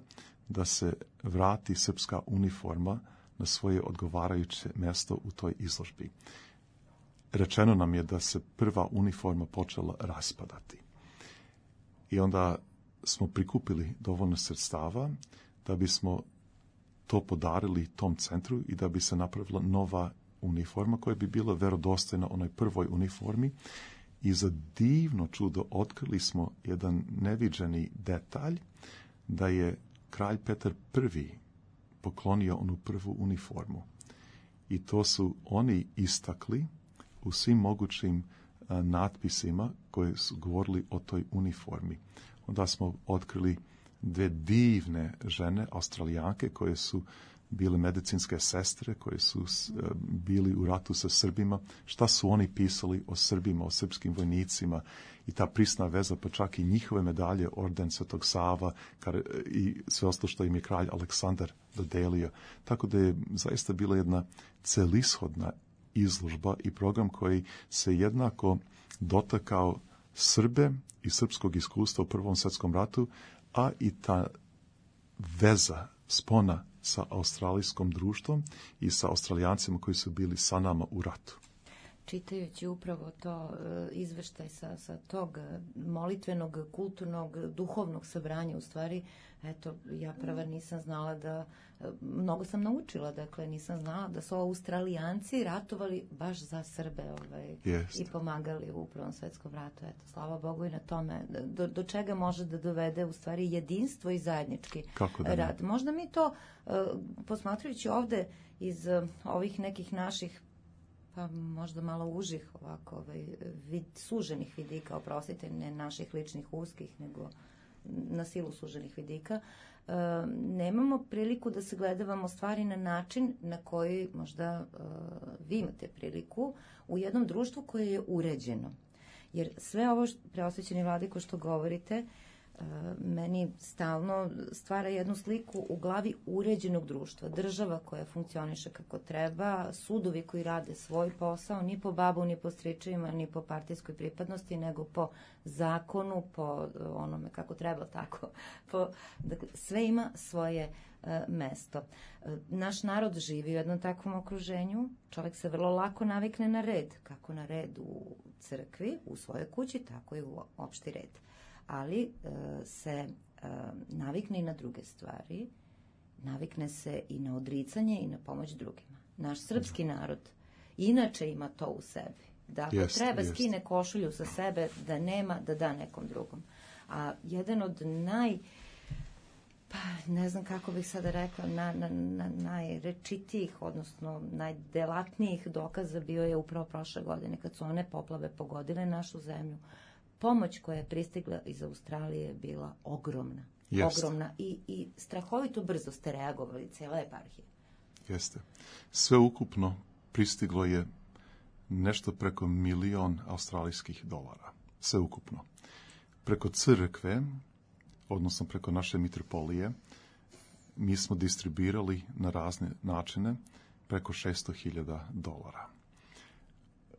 da se vrati srpska uniforma na svoje odgovarajuće mjesto u toj izložbi. Rečeno nam je da se prva uniforma počela raspadati. I onda smo prikupili dovoljno sredstava da bismo to podarili tom centru i da bi se napravila nova uniforma koja bi bila verodostojna onoj prvoj uniformi i za divno čudo otkrili smo jedan neviđeni detalj da je kralj Petar Prvi poklonio onu prvu uniformu. I to su oni istakli u svim mogućim a, natpisima koje su govorili o toj uniformi. Onda smo otkrili dve divne žene, Australijanke, koje su bile medicinske sestre, koje su a, bili u ratu sa Srbima. Šta su oni pisali o Srbima, o srpskim vojnicima i ta prisna veza, pa čak i njihove medalje, orden Svetog Sava kar, i sve ostalo što im je kralj Aleksandar dodelio. Tako da je zaista bila jedna celishodna izložba i program koji se jednako dotakao Srbe i srpskog iskustva u Prvom svetskom ratu, a i ta veza, spona sa australijskom društvom i sa Australijancima koji su bili sa nama u ratu.
Čitajući upravo to izveštaj sa, sa tog molitvenog, kulturnog, duhovnog sabranja, u stvari, eto, ja prava nisam znala da, mnogo sam naučila, dakle, nisam znala da su Australijanci ratovali baš za Srbe ovaj, i pomagali u Prvom svetskom ratu. Eto, slava Bogu i na tome. Do, do čega može da dovede, u stvari, jedinstvo i zajednički
da
rad. Možda mi to, posmatrajući ovde iz ovih nekih naših pa možda malo užih ovako ovaj, vid, suženih vidika, oprostite, ne naših ličnih uskih, nego na silu suženih vidika, e, nemamo priliku da se gledavamo stvari na način na koji možda e, vi imate priliku u jednom društvu koje je uređeno. Jer sve ovo, preosvećeni vladiko, što govorite, meni stalno stvara jednu sliku u glavi uređenog društva. Država koja funkcioniše kako treba, sudovi koji rade svoj posao, ni po babu, ni po stričevima, ni po partijskoj pripadnosti, nego po zakonu, po onome kako treba, tako. Po, dakle, sve ima svoje uh, mesto. Uh, naš narod živi u jednom takvom okruženju. Čovjek se vrlo lako navikne na red. Kako na red u crkvi, u svojoj kući, tako i u opšti red. Ali e, se e, navikne i na druge stvari, navikne se i na odricanje i na pomoć drugima. Naš srpski narod inače ima to u sebi. Da ako jest, treba jest. skine košulju sa sebe, da nema, da da nekom drugom. A jedan od naj, pa ne znam kako bih sada rekla, na, na, na, najrečitijih, odnosno najdelatnijih dokaza bio je upravo prošle godine, kad su one poplave pogodile našu zemlju. Pomoć koja je pristigla iz Australije je bila ogromna.
Jest.
Ogromna i, i strahovito brzo ste reagovali, cijela eparhija.
Jeste. Sve ukupno pristiglo je nešto preko milion australijskih dolara. Sve ukupno. Preko crkve, odnosno preko naše mitropolije, mi smo distribuirali na razne načine preko šesto hiljada dolara.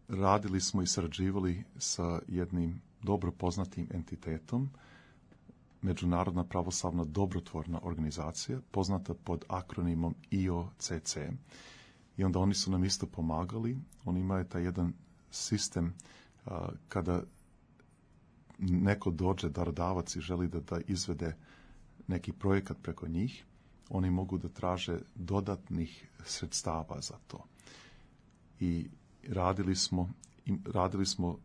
Radili smo i sarađivali sa jednim dobro poznatim entitetom, Međunarodna pravoslavna dobrotvorna organizacija, poznata pod akronimom I O C C. I onda oni su nam isto pomagali. Oni imaju taj jedan sistem a, kada neko dođe, darodavac, i želi da, da izvede neki projekat preko njih, oni mogu da traže dodatnih sredstava za to. I radili smo, radili smo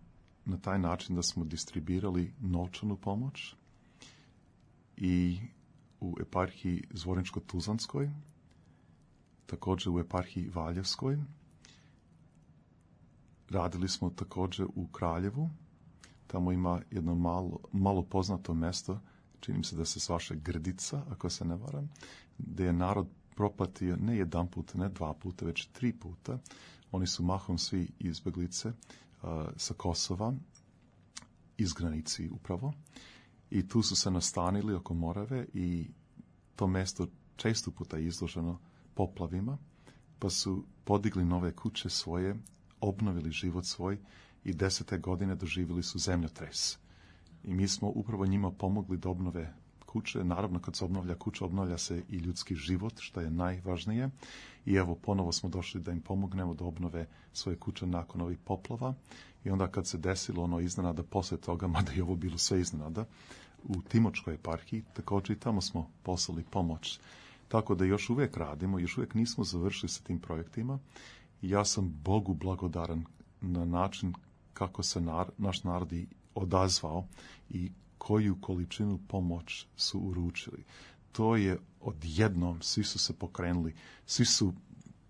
na taj način da smo distribuirali novčanu pomoć i u eparhiji Zvorničko-Tuzlanskoj, također u eparhiji Valjevskoj. Radili smo također u Kraljevu. Tamo ima jedno malo, malo poznato mesto, čini mi se da se zvaše Grdica, ako se ne varam, gdje je narod propatio ne jedan put, ne dva puta, već tri puta. Oni su mahom svi izbeglice uh, sa Kosova, iz granici upravo. I tu su se nastanili oko Morave i to mesto često puta je izloženo poplavima, pa su podigli nove kuće svoje, obnovili život svoj i desete godine doživjeli su zemljotres. I mi smo upravo njima pomogli da obnove kuće. Naravno, kad se obnavlja kuća, obnavlja se i ljudski život, što je najvažnije. I evo, ponovo smo došli da im pomognemo da obnove svoje kuće nakon ovih poplava. I onda kad se desilo ono iznenada posle toga, mada je ovo bilo sve iznenada, u Timočkoj eparhiji, također i tamo smo poslali pomoć. Tako da još uvijek radimo, još uvijek nismo završili sa tim projektima I ja sam Bogu blagodaran na način kako se nar, naš narod i odazvao i koju količinu pomoć su uručili. To je odjednom, svi su se pokrenuli, svi su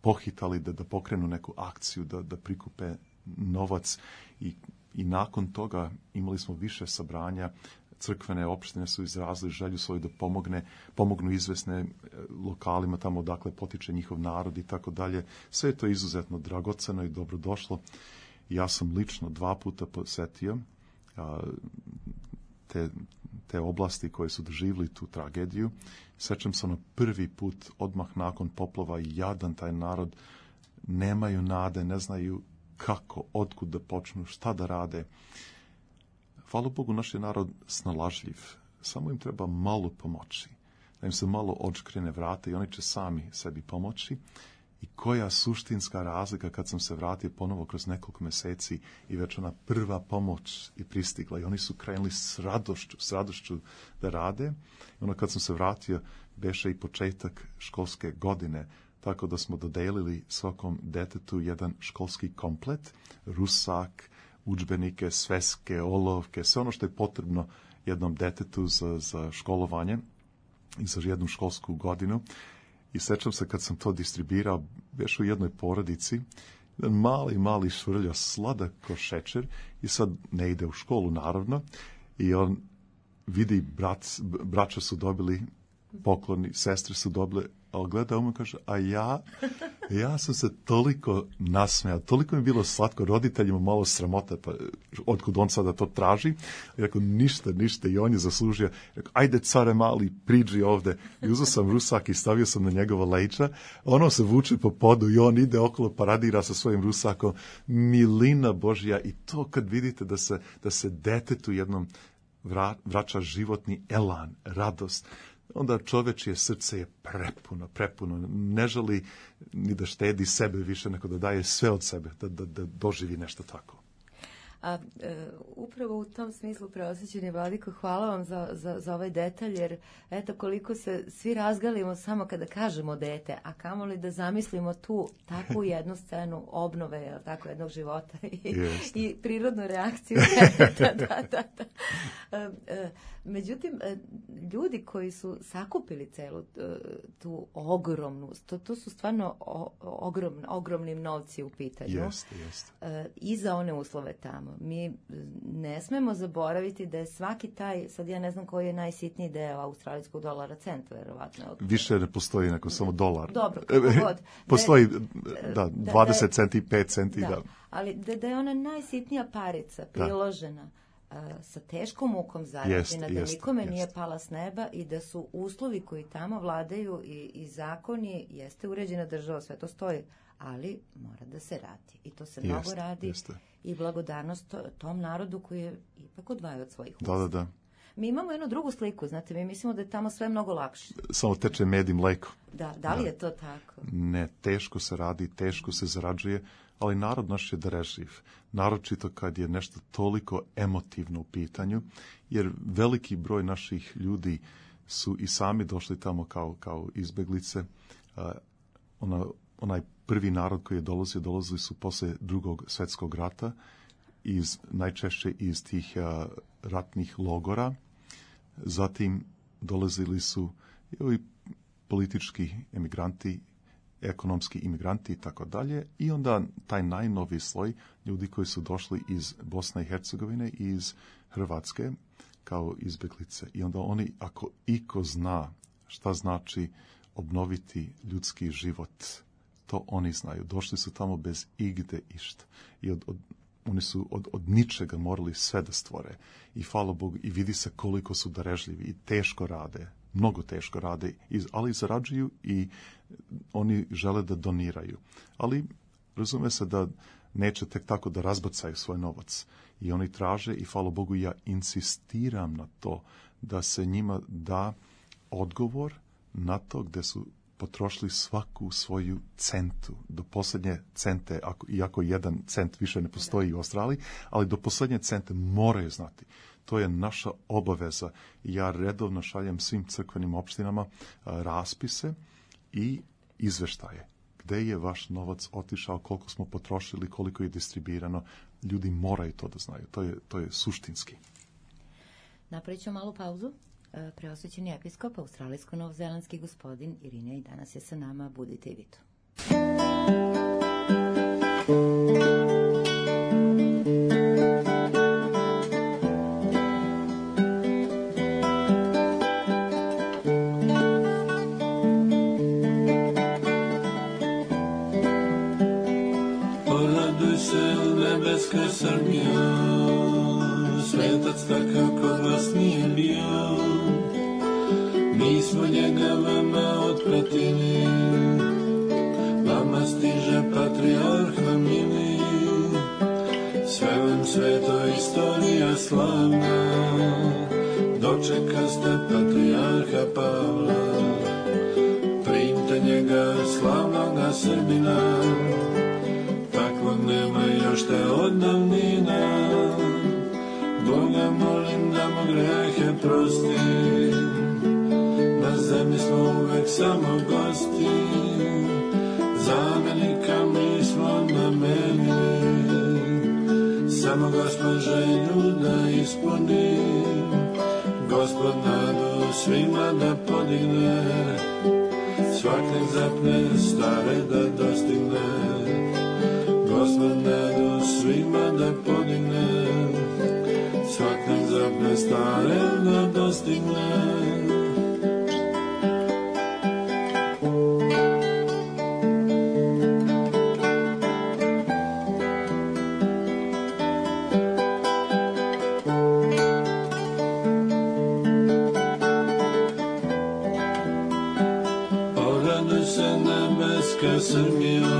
pohitali da, da pokrenu neku akciju, da, da prikupe novac i, i nakon toga imali smo više sabranja. Crkvene opštine su izrazili želju svoju da pomogne, pomognu izvesne lokalima tamo odakle potiče njihov narod i tako dalje. Sve je to izuzetno dragoceno i dobrodošlo. Ja sam lično dva puta posetio a, te, te oblasti koje su doživjeli tu tragediju. Sećam se ono prvi put, odmah nakon poplava, i jadan taj narod, nemaju nade, ne znaju kako, otkud da počnu, šta da rade. Hvala Bogu, naš je narod snalažljiv. Samo im treba malo pomoći. Da im se malo odškrene vrata i oni će sami sebi pomoći. I koja suštinska razlika kad sam se vratio ponovo kroz nekoliko meseci i već ona prva pomoć je pristigla i oni su krenuli s radošću, s radošću da rade. I ono kad sam se vratio, beše i početak školske godine, tako da smo dodelili svakom detetu jedan školski komplet, rusak, udžbenike, sveske, olovke, sve ono što je potrebno jednom detetu za, za školovanje i za jednu školsku godinu. I sećam se kad sam to distribuirao, beš u jednoj porodici, jedan mali, mali švrlja, sladak ko šećer, i sad ne ide u školu, naravno, i on vidi, brat, braća su dobili pokloni, sestre su dobile, ali gleda um i kaže, a ja, ja sam se toliko nasmejao, toliko mi je bilo slatko, roditeljima malo sramota, pa otkud on sada to traži. I rekao, ništa, ništa, i on je zaslužio. Rekao, ajde care mali, priđi ovde. I uzeo sam rusak i stavio sam na njegova leđa. Ono se vuče po podu i on ide okolo, paradira sa svojim rusakom. Milina Božja. I to kad vidite da se, da se detetu jednom vra, vraća životni elan, radost, onda čovečje srce je prepuno, prepuno. Ne želi ni da štedi sebe više, nego da daje sve od sebe, da, da, da doživi nešto tako.
A e, upravo u tom smislu, preosjećeni Vladiko, hvala vam za, za, za ovaj detalj, jer eto koliko se svi razgalimo samo kada kažemo dete, a kamoli da zamislimo tu takvu jednu scenu obnove, tako, jednog života i, i prirodnu reakciju. da, da, da, da. E, e, međutim, ljudi koji su sakupili celu tu ogromnu, to, to su stvarno o, ogrom, ogromnim novci u pitanju.
Jeste, jeste.
E, I za one uslove tamo. Mi ne smemo zaboraviti da je svaki taj, sad ja ne znam koji je najsitniji deo australijskog dolara, cent, verovatno.
Više ne postoji nego samo dolar.
Dobro, kako god.
Postoji, da, dvadeset da, centi, pet centi, da.
da. Ali da, da je ona najsitnija parica priložena da. sa teškom mukom zarađena, da jest, nikome jest. nije pala s neba i da su uslovi koji tamo vladaju i, i zakoni, jeste uređena država, sve to stoji, ali mora da se radi. I to se jest, mnogo radi. Jeste. I blagodarnost tom narodu koji je ipak odvajao od svojih usta.
Da, da, da.
Mi imamo jednu drugu sliku, znate, mi mislimo da je tamo sve mnogo lakše.
Samo teče med i mleko.
Da, da li da. je to tako?
Ne, teško se radi, teško se zarađuje, ali narod naš je darežljiv. Naročito kad je nešto toliko emotivno u pitanju, jer veliki broj naših ljudi su i sami došli tamo kao, kao izbeglice. Uh, ona, onaj prvi narod koji je dolazio, dolazili su posle drugog svetskog rata, iz, najčešće iz tih uh, ratnih logora. Zatim dolazili su i politički emigranti, ekonomski imigranti i tako dalje. I onda taj najnoviji sloj ljudi koji su došli iz Bosne i Hercegovine i iz Hrvatske kao izbeglice. I onda oni, ako iko zna šta znači obnoviti ljudski život, to oni znaju. Došli su tamo bez igde išta. I od, od, oni su od, od ničega morali sve da stvore. I hvala Bogu, i vidi se koliko su darežljivi i teško rade. Mnogo teško rade, ali zarađuju i oni žele da doniraju. Ali razume se da neće tek tako da razbacaju svoj novac. I oni traže, i hvala Bogu, ja insistiram na to da se njima da odgovor na to gde su potrošili svaku svoju centu, do posljednje cente, ako, iako jedan cent više ne postoji u Australiji, ali do posljednje cente moraju znati. To je naša obaveza. Ja redovno šaljem svim crkvenim opštinama a, raspise i izveštaje. gde je vaš novac otišao, koliko smo potrošili, koliko je distribuirano. Ljudi moraju to da znaju. To je, to je suštinski.
Napravit ću malu pauzu. Preosvećeni episkop, australijsko-novozelandski gospodin Irinej danas je sa nama. Budite i vi tu.
Poraduj se, nebeska Srbija, svetac takav kod vas nije bio. Mi smo njega vama otpratili, vama stiže patrijarha mili. Sve vam sveto istorija slavna, dočeka ste patrijarha Pavla. Primte njega slavnoga Srbina, takvog nema još te od davnina. Boga molim da mu grehe prosti, na zemlji smo uvek samo gosti. Zamenika mi smo namenili, samo Gospod želju da ispuni. Gospod nadu svima da podigne, svak nek zapne stare da dostigne. Gospod nadu svima da podigne, svak nek zapne stare da dostigne. Srbijo,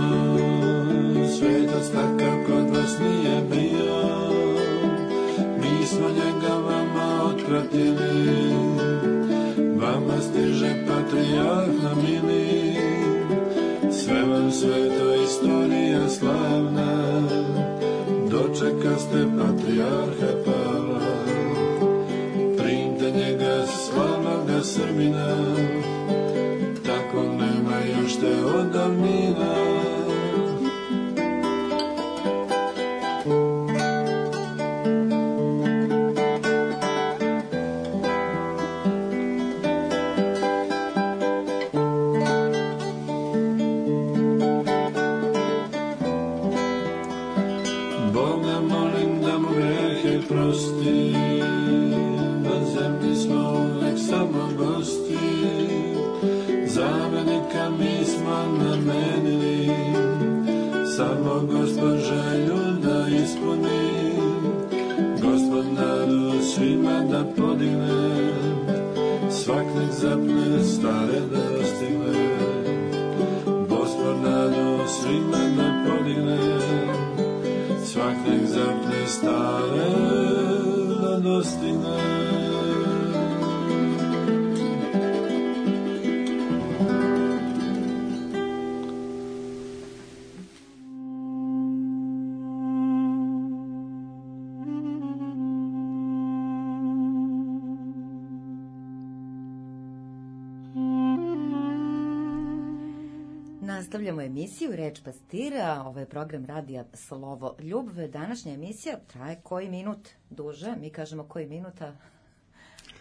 svetac takav kod vas nije bio. Mi smo njega vama otpratili, vama stiže patrijarha mili. Sve vam sveto istorija slavna, dočeka ste patrijarha Pavla. Primte njega slavnoga Srbina, tako nema još te od davnina. Boga molim da mu grehe prosti, na zemlji smo uvek samo gosti. Zamenika mi smo namenili, samo Gospod želju da ispuni. Gospod nadu svima da podigne, svak nek zapne stare da dostigne. Gospod nadu svima da podigne, svak nek zapne stare da dostigne.
Nastavljamo emisiju Reč pastira, ovo je program radija Slovo Ljubve. Današnja emisija traje koji minut duže, mi kažemo koji minuta,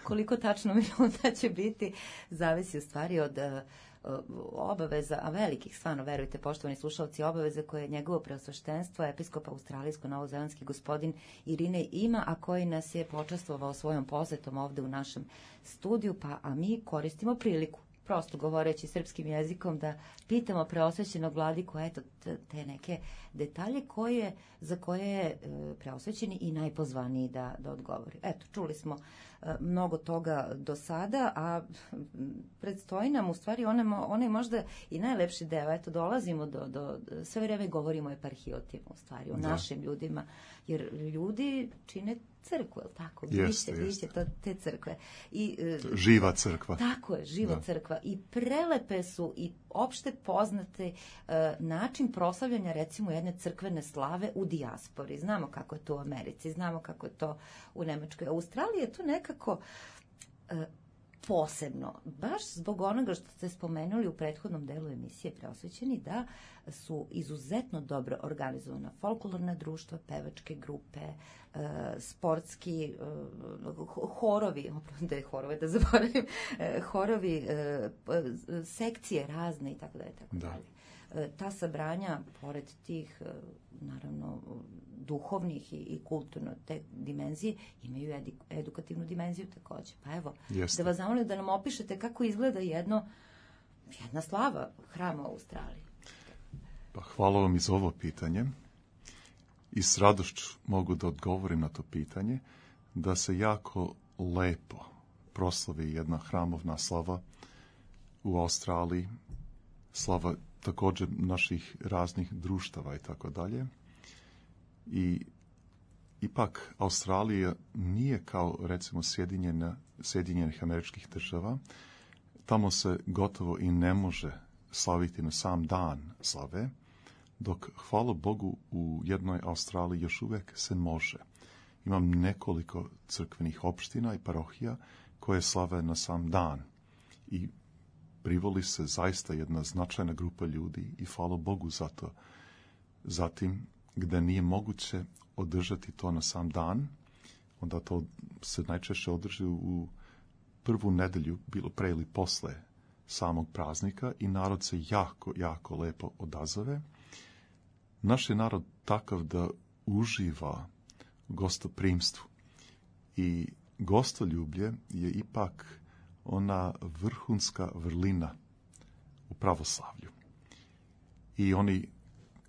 koliko tačno minuta će biti, zavisi u stvari od uh, obaveza, a velikih, stvarno, verujte, poštovani slušalci, obaveze koje je njegovo preosveštenstvo, episkop australijsko-novozelandski gospodin Irinej ima, a koji nas je počastvovao svojom posetom ovde u našem studiju, pa a mi koristimo priliku, prosto govoreći srpskim jezikom, da pitamo preosvećenog vladiku, eto, te neke detalje koje, za koje je e, preosvećeni i najpozvaniji da, da odgovori. Eto, čuli smo e, mnogo toga do sada, a predstoji nam u stvari onaj, onaj možda i najlepši deo. Eto, dolazimo do, do sve vreme govorimo o eparhijotima, u stvari, o da. našim ljudima, jer ljudi čine crkvu, je li tako?
Jeste,
Biće,
jeste.
biće to, te crkve. I, e,
živa crkva.
Tako je, živa da. crkva. I prelepe su i opšte poznate e, način proslavljanja recimo jedne crkvene slave u dijaspori. Znamo kako je to u Americi, znamo kako je to u Nemačkoj. U Australiji je to nekako e, posebno, baš zbog onoga što ste spomenuli u prethodnom delu emisije Preosvećeni, da su izuzetno dobro organizovana folklorna društva, pevačke grupe, sportski horovi, da je horove da zaboravim, horovi, sekcije razne i tako dalje, tako dalje. Ta sabranja, pored tih, naravno, duhovnih i kulturno te dimenzije, imaju edukativnu dimenziju takođe. Pa evo, Jeste. Da vas zamolim da nam opišete kako izgleda jedno, jedna slava hrama u Australiji.
Pa hvala vam i za ovo pitanje. I s radošću mogu da odgovorim na to pitanje, da se jako lepo proslavi jedna hramovna slava u Australiji, slava također naših raznih društava i tako dalje. I ipak Australija nije kao recimo Sjedinjena, Sjedinjenih Američkih Država. Tamo se gotovo i ne može slaviti na sam dan slave, dok hvala Bogu u jednoj Australiji još uvijek se može. Imam nekoliko crkvenih opština i parohija koje slave na sam dan. I privoli se zaista jedna značajna grupa ljudi i hvala Bogu za to. Zatim, gde nije moguće održati to na sam dan, onda to se najčešće održi u prvu nedelju, bilo pre ili posle samog praznika i narod se jako, jako lepo odazove. Naš je narod takav da uživa gostoprimstvu i gostoljublje je ipak ona vrhunska vrlina u pravoslavlju. I oni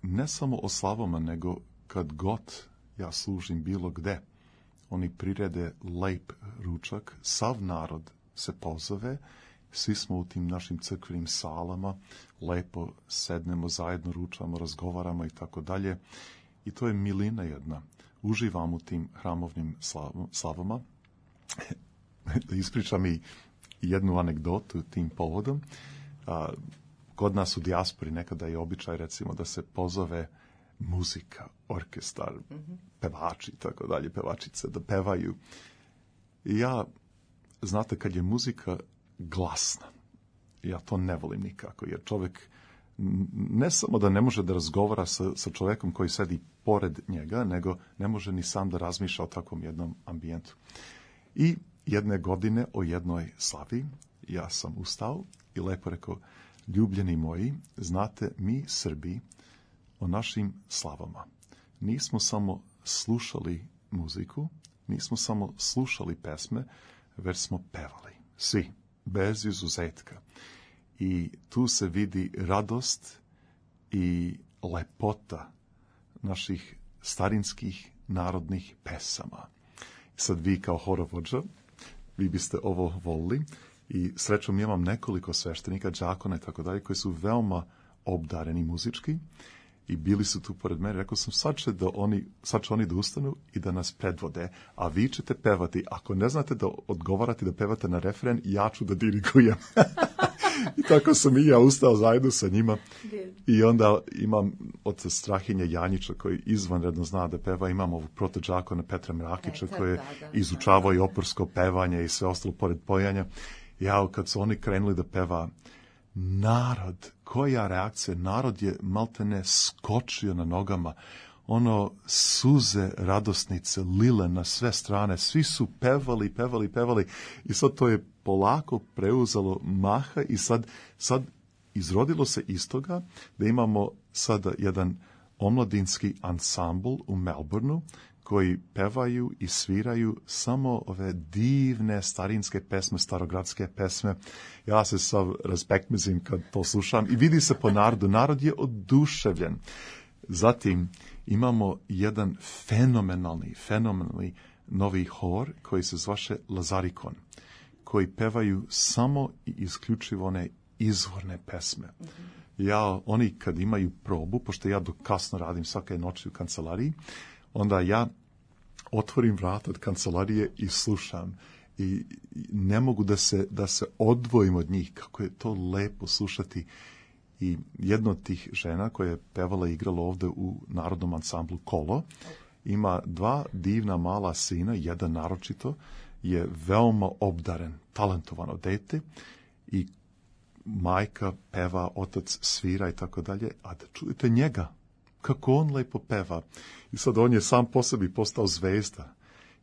ne samo o slavama, nego kad god ja služim bilo gde, oni prirede lep ručak, sav narod se pozove, svi smo u tim našim crkvenim salama, lepo sednemo zajedno, ručamo, razgovaramo i tako dalje. I to je milina jedna. Uživam u tim hramovnim slavama. Da ispričam i jednu anegdotu tim povodom. A, kod nas u dijaspori nekada je običaj, recimo, da se pozove muzika, orkestar, mm-hmm. pevači i tako dalje, pevačice, da pevaju. I ja, znate, kad je muzika glasna, ja to ne volim nikako, jer čovjek ne samo da ne može da razgovara sa, sa čovjekom koji sedi pored njega, nego ne može ni sam da razmišlja o takvom jednom ambijentu. I jedne godine o jednoj slavi ja sam ustao i lepo rekao, ljubljeni moji, znate, mi Srbi o našim slavama nismo samo slušali muziku, nismo samo slušali pesme, već smo pevali. Svi, bez izuzetka. I tu se vidi radost i lepota naših starinskih narodnih pesama. Sad vi kao horovođa, vi biste ovo volili i srećom imam nekoliko sveštenika, đakona i tako dalje, koji su veoma obdareni muzički i bili su tu pored mene. Rekao sam, sad će, da oni, sad će oni da ustanu i da nas predvode, a vi ćete pevati. Ako ne znate da odgovarate, da pevate na refren, ja ću da dirigujem. I tako sam i ja ustao zajedno sa njima. I onda imam od Strahinja Janjića, koji izvanredno zna da peva, imam ovog protođakona Petra Mrakića, koji je izučavao i opersko pevanje i sve ostalo pored pojanja. Ja, kad su oni krenuli da peva, narod, koja reakcija, narod je maltene skočio na nogama, ono suze radosnice lile na sve strane, svi su pevali, pevali, pevali i sad to je polako preuzelo maha i sad, sad izrodilo se iz toga da imamo sada jedan omladinski ansambl u Melbourneu koji pevaju i sviraju samo ove divne starinske pesme, starogradske pesme. Ja se sav razbekmezim kad to slušam i vidi se po narodu. Narod je oduševljen. Zatim imamo jedan fenomenalni, fenomenalni novi hor koji se zvaše Lazarikon, koji pevaju samo i isključivo one izvorne pesme. Mm-hmm. Ja, oni kad imaju probu, pošto ja dok kasno radim svake noći u kancelariji, onda ja otvorim vrata od kancelarije i slušam. I ne mogu da se, da se odvojim od njih. Kako je to lepo slušati. I jedna od tih žena koja je pevala i igrala ovde u narodnom ansamblu Kolo, ima dva divna mala sina, jedan naročito, je veoma obdaren, talentovano dete i majka peva, otac svira i tako dalje, a da čujete njega, kako on lepo peva. I sad on je sam po sebi postao zvezda.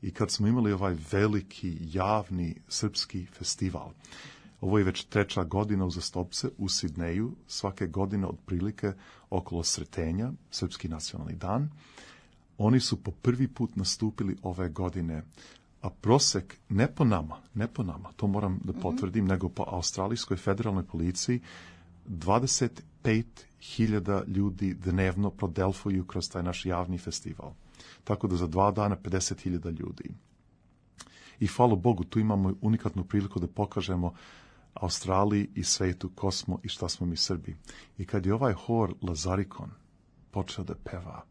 I kad smo imali ovaj veliki, javni srpski festival, ovo je već treća godina uzastopce u Sidneju, svake godine otprilike okolo Sretenja, Srpski nacionalni dan, oni su po prvi put nastupili ove godine, a prosek ne po nama, ne po nama, to moram da potvrdim, mm-hmm. nego po Australijskoj federalnoj policiji, dvadeset pet hiljada ljudi dnevno prodelfuju kroz taj naš javni festival. Tako da za dva dana pedeset hiljada ljudi. I hvala Bogu, tu imamo unikatnu priliku da pokažemo Australiji i svetu ko smo i šta smo mi Srbi. I kad je ovaj hor Lazarikon počeo da peva,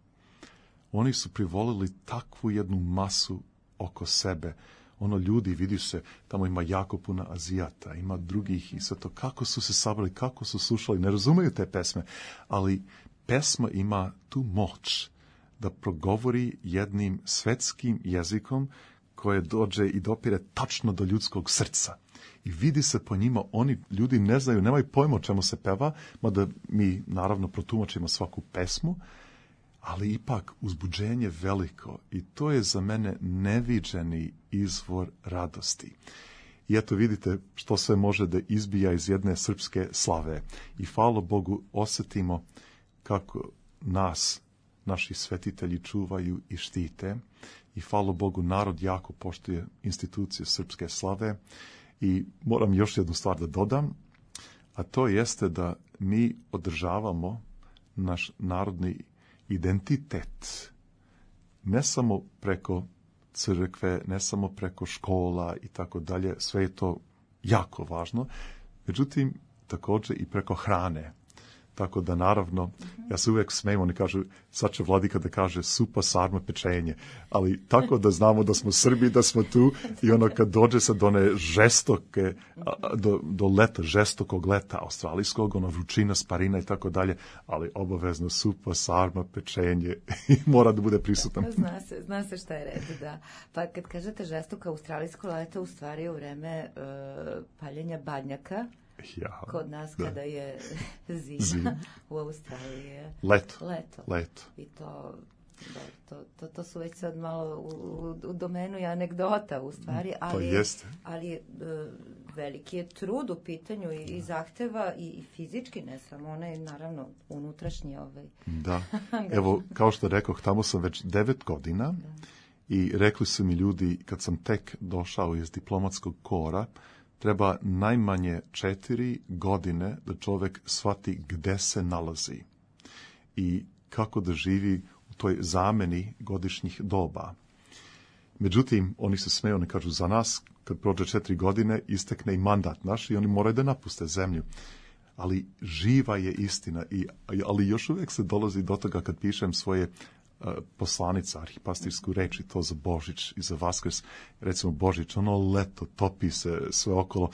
oni su privolili takvu jednu masu oko sebe. Ono, ljudi, vidi se, tamo ima jako puno Azijata, ima drugih i sve to. Kako su se sabrali, kako su slušali, ne razumeju te pesme, ali pesma ima tu moć da progovori jednim svetskim jezikom koje dođe i dopire tačno do ljudskog srca. I vidi se po njima, oni ljudi ne znaju, nemaju pojma o čemu se peva, mada mi naravno protumačimo svaku pesmu, ali ipak uzbuđenje veliko i to je za mene neviđeni izvor radosti. I eto vidite što sve može da izbija iz jedne srpske slave. I hvala Bogu osjetimo kako nas naši svetitelji čuvaju i štite. I hvala Bogu narod jako poštuje institucije srpske slave. I moram još jednu stvar da dodam, a to jeste da mi održavamo naš narodni identitet ne samo preko crkve, ne samo preko škola i tako dalje, sve je to jako važno, međutim također i preko hrane. Tako da naravno, ja se uvijek smijem, oni kažu, sad će vladika da kaže supa, sarma, pečenje, ali tako da znamo da smo Srbi, da smo tu i ono kad dođe sad do one žestoke, do, do leta, žestokog leta australijskog, ono vrućina, sparina i tako dalje, ali obavezno supa, sarma, pečenje i mora da bude prisutan.
Zna se, zna se šta je red, da. Pa kad kažete žestoko australijsko leto, u stvari je u vreme uh, paljenja badnjaka.
Ja,
kod nas
da.
Kada je zima,
Zim.
U Australiji je
leto.
leto.
leto.
I to, da, to, to, to su već sad malo u, u, u domenu i anegdota u stvari, ali,
to jeste.
ali uh, veliki je trud u pitanju i, i zahteva i, i fizički, ne samo onaj, naravno, unutrašnji ovaj.
Da, evo, kao što rekoh, tamo sam već devet godina da. I rekli su mi ljudi, kad sam tek došao iz diplomatskog kora, treba najmanje četiri godine da čovjek shvati gde se nalazi i kako da živi u toj zameni godišnjih doba. Međutim, oni se smeju, oni kažu za nas, kad prođe četiri godine, istekne i mandat naš i oni moraju da napuste zemlju. Ali živa je istina, i, ali još uvijek se dolazi do toga kad pišem svoje poslanica, arhipastirsku reč i to za Božić i za Vaskrs, recimo Božić, ono leto, topi se sve okolo,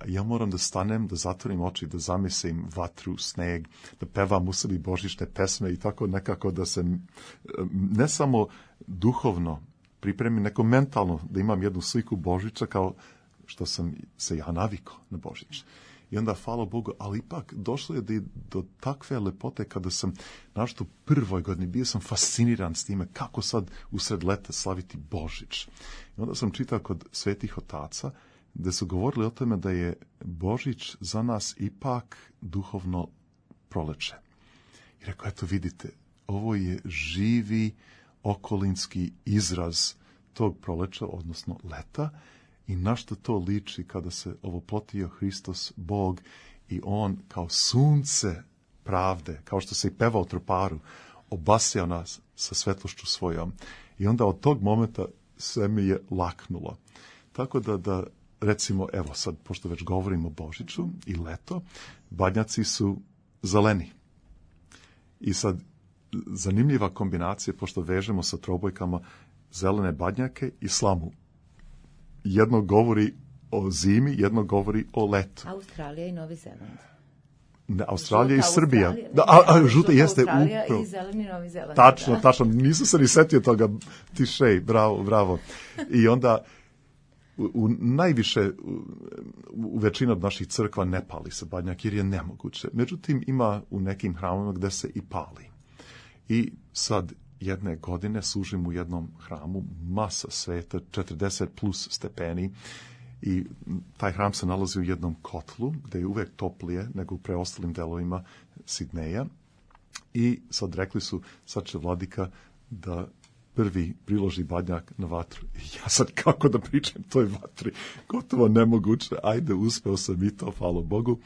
ja moram da stanem, da zatvorim oči, da zamislim vatru, sneg, da pevam u sebi božićne pesme i tako nekako da se ne samo duhovno pripremim, neko mentalno, da imam jednu sliku Božića kao što sam se ja navikao na Božić. I onda, hvala Bogu, ali ipak došlo je do, do takve lepote kada sam našto prvoj godini bio sam fasciniran s time kako sad usred leta slaviti Božić. I onda sam čitao kod svetih otaca gde su govorili o tome da je Božić za nas ipak duhovno proleće. I rekao, eto vidite, ovo je živi okolinski izraz tog proleća, odnosno leta, i na što to liči kada se ovoplotio Hristos Bog i on kao sunce pravde, kao što se i peva u troparu, obasjao nas sa svetlošću svojom. I onda od tog momenta sve mi je laknulo. Tako da, da recimo, evo sad, pošto već govorimo o Božiću i leto, badnjaci su zeleni. I sad, zanimljiva kombinacija, pošto vežemo sa trobojkama zelene badnjake i slamu. Jedno govori o zimi, jedno govori o letu.
Australija i Novi Zeland.
Ne, Australija žuta i Srbija.
Australija,
da, a, a, žuta,
žuta
jeste
Australija
upravo.
I zeleni Novi Zeland.
Tačno,
da.
tačno. Nisam se ni setio toga. Tišej, bravo, bravo. I onda u, u najviše, u, u većini od naših crkva ne pali se badnjak jer je nemoguće. Međutim, ima u nekim hramovima gde se i pali. I sad jedne godine služim u jednom hramu, masa sveta, četrdeset plus stepeni, i taj hram se nalazi u jednom kotlu, gde je uvek toplije nego u preostalim delovima Sidneja. I sad rekli su, sad će vladika da prvi priloži badnjak na vatru. I ja sad kako da pričam toj vatri? Gotovo nemoguće. Ajde, uspeo sam i to, hvala Bogu.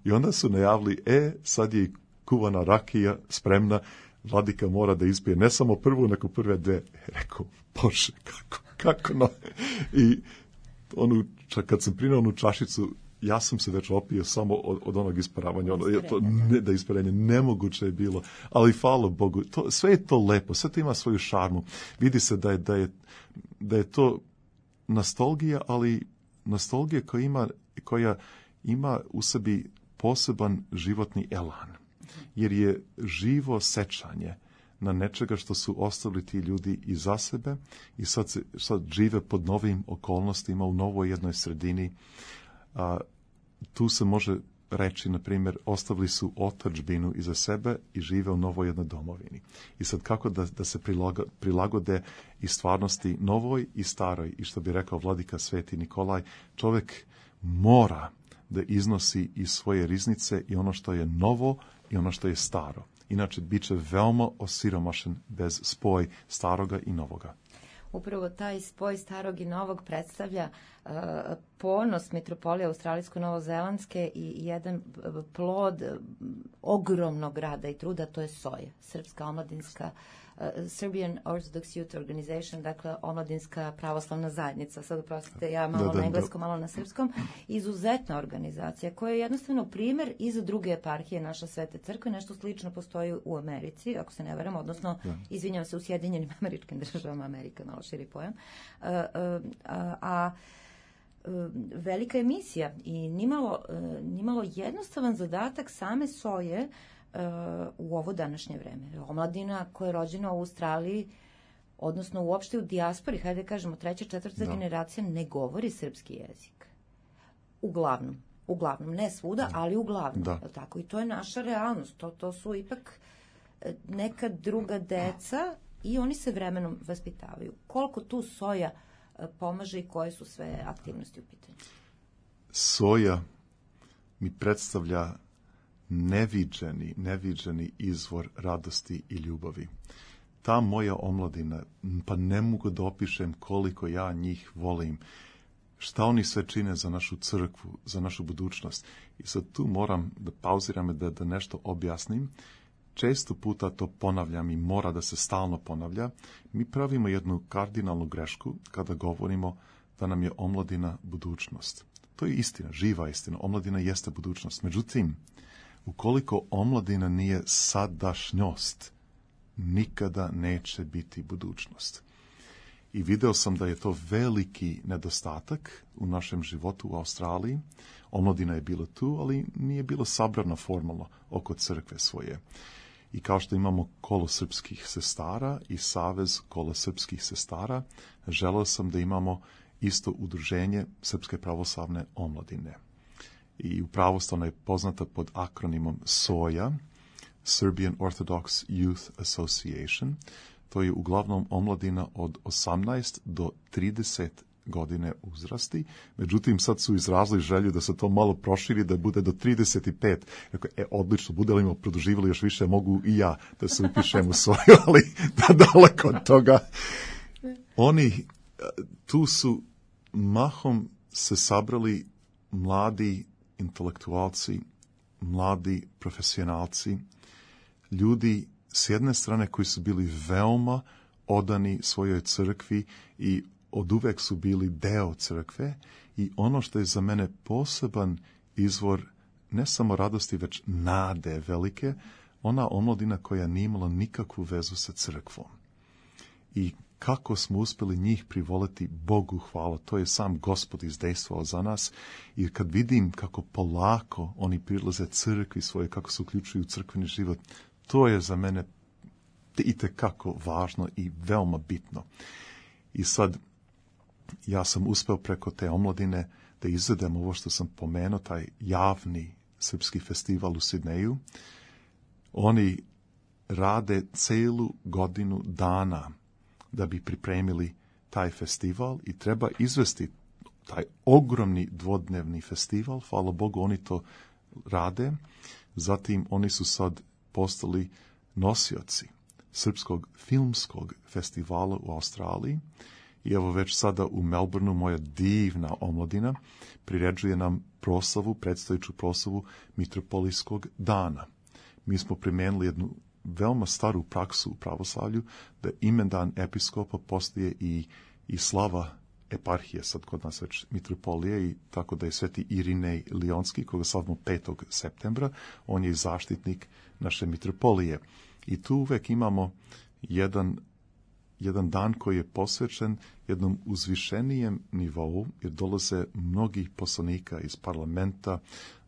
I onda su najavili, e, sad je kuvana rakija spremna, vladika mora da ispije ne samo prvu, nego prve dve. Rekao, Bože, kako, kako no? I onu, čak kad sam prinao onu čašicu, ja sam se već opio samo od, od onog isparavanja. Ono, je to, ne, da isparenje nemoguće je bilo, ali hvala Bogu, to, sve je to lepo, sve to ima svoju šarmu. Vidi se da je, da je, da je to nostalgija, ali nostalgija koja ima, koja ima u sebi poseban životni elan. Jer je živo sećanje na nečega što su ostavili ti ljudi iza sebe i sad, se, sad žive pod novim okolnostima u novoj jednoj sredini. A, tu se može reći, na primjer, ostavili su otadžbinu iza sebe i žive u novoj jednoj domovini. I sad kako da, da se prilago, prilagode i stvarnosti novoj i staroj. I što bi rekao vladika Sveti Nikolaj, čovjek mora da iznosi iz svoje riznice i ono što je novo i ono što je staro. Inače, bit će veoma osiromašen bez spoj staroga i novoga.
Upravo taj spoj starog i novog predstavlja uh, ponos metropolije australijsko-novozelandske i jedan plod uh, ogromnog rada i truda, to je S O J A, Srpska omladinska uh, Serbian Orthodox Youth Organization, dakle omladinska pravoslavna zajednica. Sad oprostite, ja malo da, da, na engleskom, da. malo na srpskom. Izuzetna organizacija koja je jednostavno primjer i za druge eparhije naša Svete crkve. Nešto slično postoji u Americi, ako se ne varam, odnosno, da. izvinjam se, u Sjedinjenim Američkim državama, Amerika, malo širi pojam. Uh, uh, a, a velika je misija i nimalo, nimalo jednostavan zadatak same S O J A u ovo današnje vreme. Omladina koja je rođena u Australiji, odnosno uopšte u dijaspori, hajde kažemo treća, četvrta no. generacija, ne govori srpski jezik. Uglavnom. Uglavnom, ne svuda, no. ali uglavnom. Da. Tako? I to je naša realnost. To, to su ipak neka druga deca i oni se vremenom vaspitavaju. Koliko tu S O J A pomaže i koje su sve aktivnosti u pitanju?
S O J A mi predstavlja neviđeni, neviđeni izvor radosti i ljubavi. Ta moja omladina, pa ne mogu da opišem koliko ja njih volim, šta oni sve čine za našu crkvu, za našu budućnost. I sad tu moram da pauziram i da, da nešto objasnim. Često puta to ponavljam i mora da se stalno ponavlja. Mi pravimo jednu kardinalnu grešku kada govorimo da nam je omladina budućnost. To je istina, živa istina. Omladina jeste budućnost. Međutim, ukoliko omladina nije sadašnjost, nikada neće biti budućnost. I video sam da je to veliki nedostatak u našem životu u Australiji. Omladina je bila tu, ali nije bilo sabrana formalno oko crkve svoje. I kao što imamo kolo srpskih sestara i savez kolo srpskih sestara, želeo sam da imamo isto udruženje Srpske pravoslavne omladine. I u pravoslavno je poznata pod akronimom S O J A, Serbian Orthodox Youth Association. To je uglavnom omladina od osamnaest do trideset godine uzrasti. Međutim, sad su izrazili želju da se to malo proširi, da bude do trideset pet. Rekao, e, odlično, bude li produživali još više, mogu i ja da se upišem u svoju, ali da daleko od toga. Oni tu su mahom se sabrali mladi intelektualci, mladi profesionalci, ljudi s jedne strane koji su bili veoma odani svojoj crkvi i oduvek su bili deo crkve i ono što je za mene poseban izvor ne samo radosti, već nade velike, ona omladina koja nije imala nikakvu vezu sa crkvom. I kako smo uspjeli njih privoliti, Bogu hvala, to je sam Gospod izdejstvovao za nas. I kad vidim kako polako oni prilaze crkvi svoje, kako se uključuju u crkveni život, to je za mene itekako važno i veoma bitno. I sad, ja sam uspeo preko te omladine da izvedem ovo što sam pomenuo, taj javni srpski festival u Sidneju. Oni rade celu godinu dana da bi pripremili taj festival i treba izvesti taj ogromni dvodnevni festival. Hvala Bogu, oni to rade. Zatim oni su sad postali nosioci Srpskog filmskog festivala u Australiji. I evo već sada u Melbourneu moja divna omladina priređuje nam proslavu, predstojeću proslavu Mitropolijskog dana. Mi smo primenili jednu veoma staru praksu u pravoslavlju, da imendan episkopa postaje i, i slava eparhije, sad kod nas već mitropolije, i tako da je sveti Irinej Lionski, koga slavimo petog septembra, on je i zaštitnik naše mitropolije. I tu uvek imamo jedan, jedan dan koji je posvećen jednom uzvišenijem nivou, jer dolaze mnogi poslanika iz parlamenta,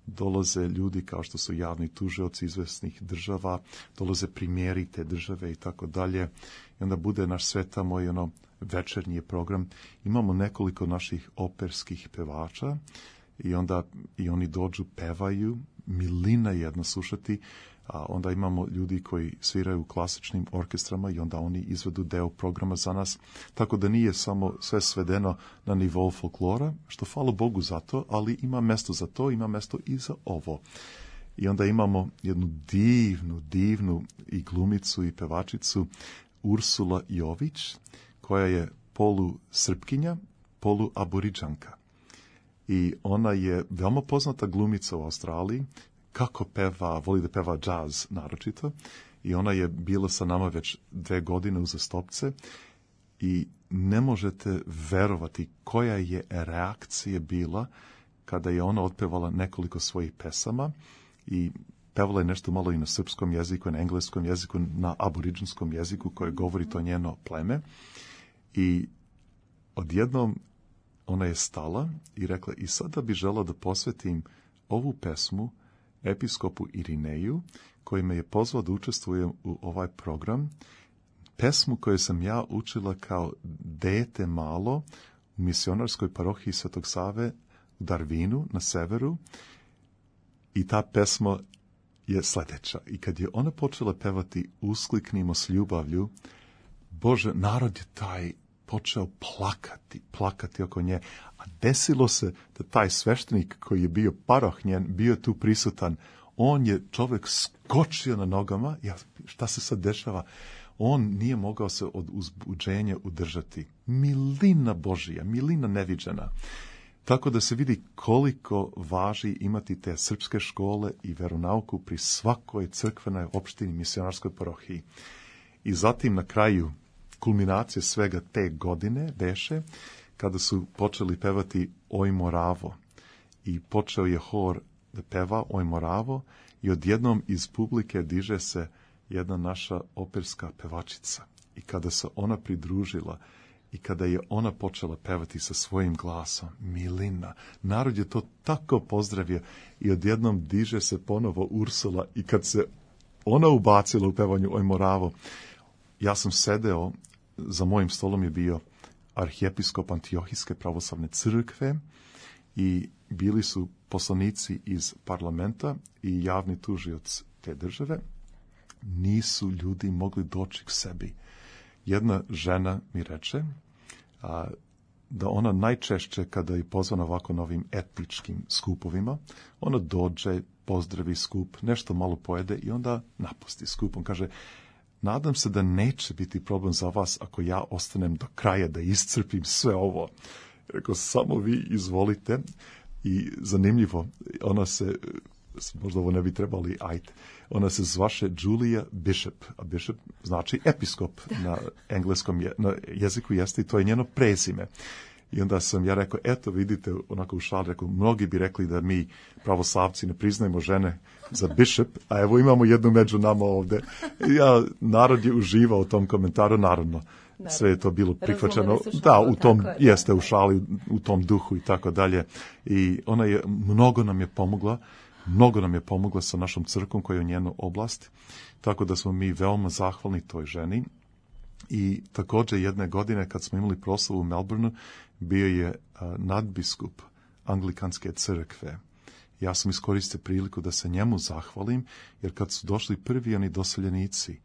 dolaze ljudi kao što su javni tužioci izvesnih država, dolaze primjeri te države i tako dalje. I onda bude naš sve tamo i ono večernji program. Imamo nekoliko naših operskih pevača i onda i oni dođu, pevaju, milina jedna slušati. A onda imamo ljudi koji sviraju u klasičnim orkestrama i onda oni izvedu deo programa za nas. Tako da nije samo sve svedeno na nivou folklora, što hvala Bogu za to, ali ima mesto za to, ima mesto i za ovo. I onda imamo jednu divnu, divnu i glumicu i pevačicu Ursula Jović, koja je polu Srpkinja, polu Aboriđanka. I ona je veoma poznata glumica u Australiji, kako peva, voli da peva džaz naročito, i ona je bila sa nama već dve godine uzastopce i ne možete verovati koja je reakcija bila kada je ona otpevala nekoliko svojih pesama i pevala je nešto malo i na srpskom jeziku, na engleskom jeziku, na aboriđanskom jeziku koje govori to njeno pleme. I odjednom ona je stala i rekla, i sada bi žela da posvetim ovu pesmu episkopu Irineju, koji me je pozvao da učestvujem u ovaj program, pesmu koju sam ja učila kao dete malo u misionarskoj parohiji Svetog Save u Darwinu na severu, i ta pesma je sledeća. I kad je ona počela pevati Uskliknimo s ljubavlju, Bože, narod je taj počeo plakati, plakati oko nje. A desilo se da taj sveštenik koji je bio paroh njen, bio tu prisutan, on je čovjek skočio na nogama. Ja, šta se sad dešava? On nije mogao se od uzbuđenja udržati. Milina Božija, milina neviđena. Tako da se vidi koliko važi imati te srpske škole i veronauku pri svakoj crkvenoj opštini, misionarskoj parohiji. I zatim na kraju kulminacije svega te godine beše kada su počeli pevati Oj Moravo, i počeo je hor da peva Oj Moravo i odjednom iz publike diže se jedna naša operska pevačica. I kada se ona pridružila i kada je ona počela pevati sa svojim glasom, milina, narod je to tako pozdravio i odjednom diže se ponovo Ursula, i kad se ona ubacila u pevanju Oj Moravo, ja sam sedeo, za mojim stolom je bio arhijepiskop Antiohijske pravoslavne crkve i bili su poslanici iz parlamenta i javni tužioc te države. Nisu ljudi mogli doći k sebi. Jedna žena mi reče a, da ona najčešće kada je pozvana ovako na ovim etničkim skupovima, ona dođe, pozdravi skup, nešto malo pojede i onda napusti skup. On kaže, nadam se da neće biti problem za vas ako ja ostanem do kraja da iscrpim sve ovo. Rekao, samo vi izvolite. I zanimljivo, ona se, možda ovo ne bi trebali, ajde, ona se zvaše Julia Bishop, a Bishop znači episkop na engleskom je, na jeziku jeste, i to je njeno prezime. I onda sam ja rekao, eto vidite, onako u šali, rekao, mnogi bi rekli da mi pravoslavci ne priznajemo žene za bishop, a evo imamo jednu među nama ovde. Ja, narod je uživao u tom komentaru, naravno. Sve je to bilo prihvaćeno. Da, u tom, je, jeste u šali, u tom duhu i tako dalje. I ona je, mnogo nam je pomogla, mnogo nam je pomogla sa našom crkvom koja je u njenu oblast. Tako da smo mi veoma zahvalni toj ženi. I također jedne godine kad smo imali proslavu u Melbourneu bio je a, nadbiskup Anglikanske crkve. Ja sam iskoristio priliku da se njemu zahvalim, jer kad su došli prvi oni doseljenici,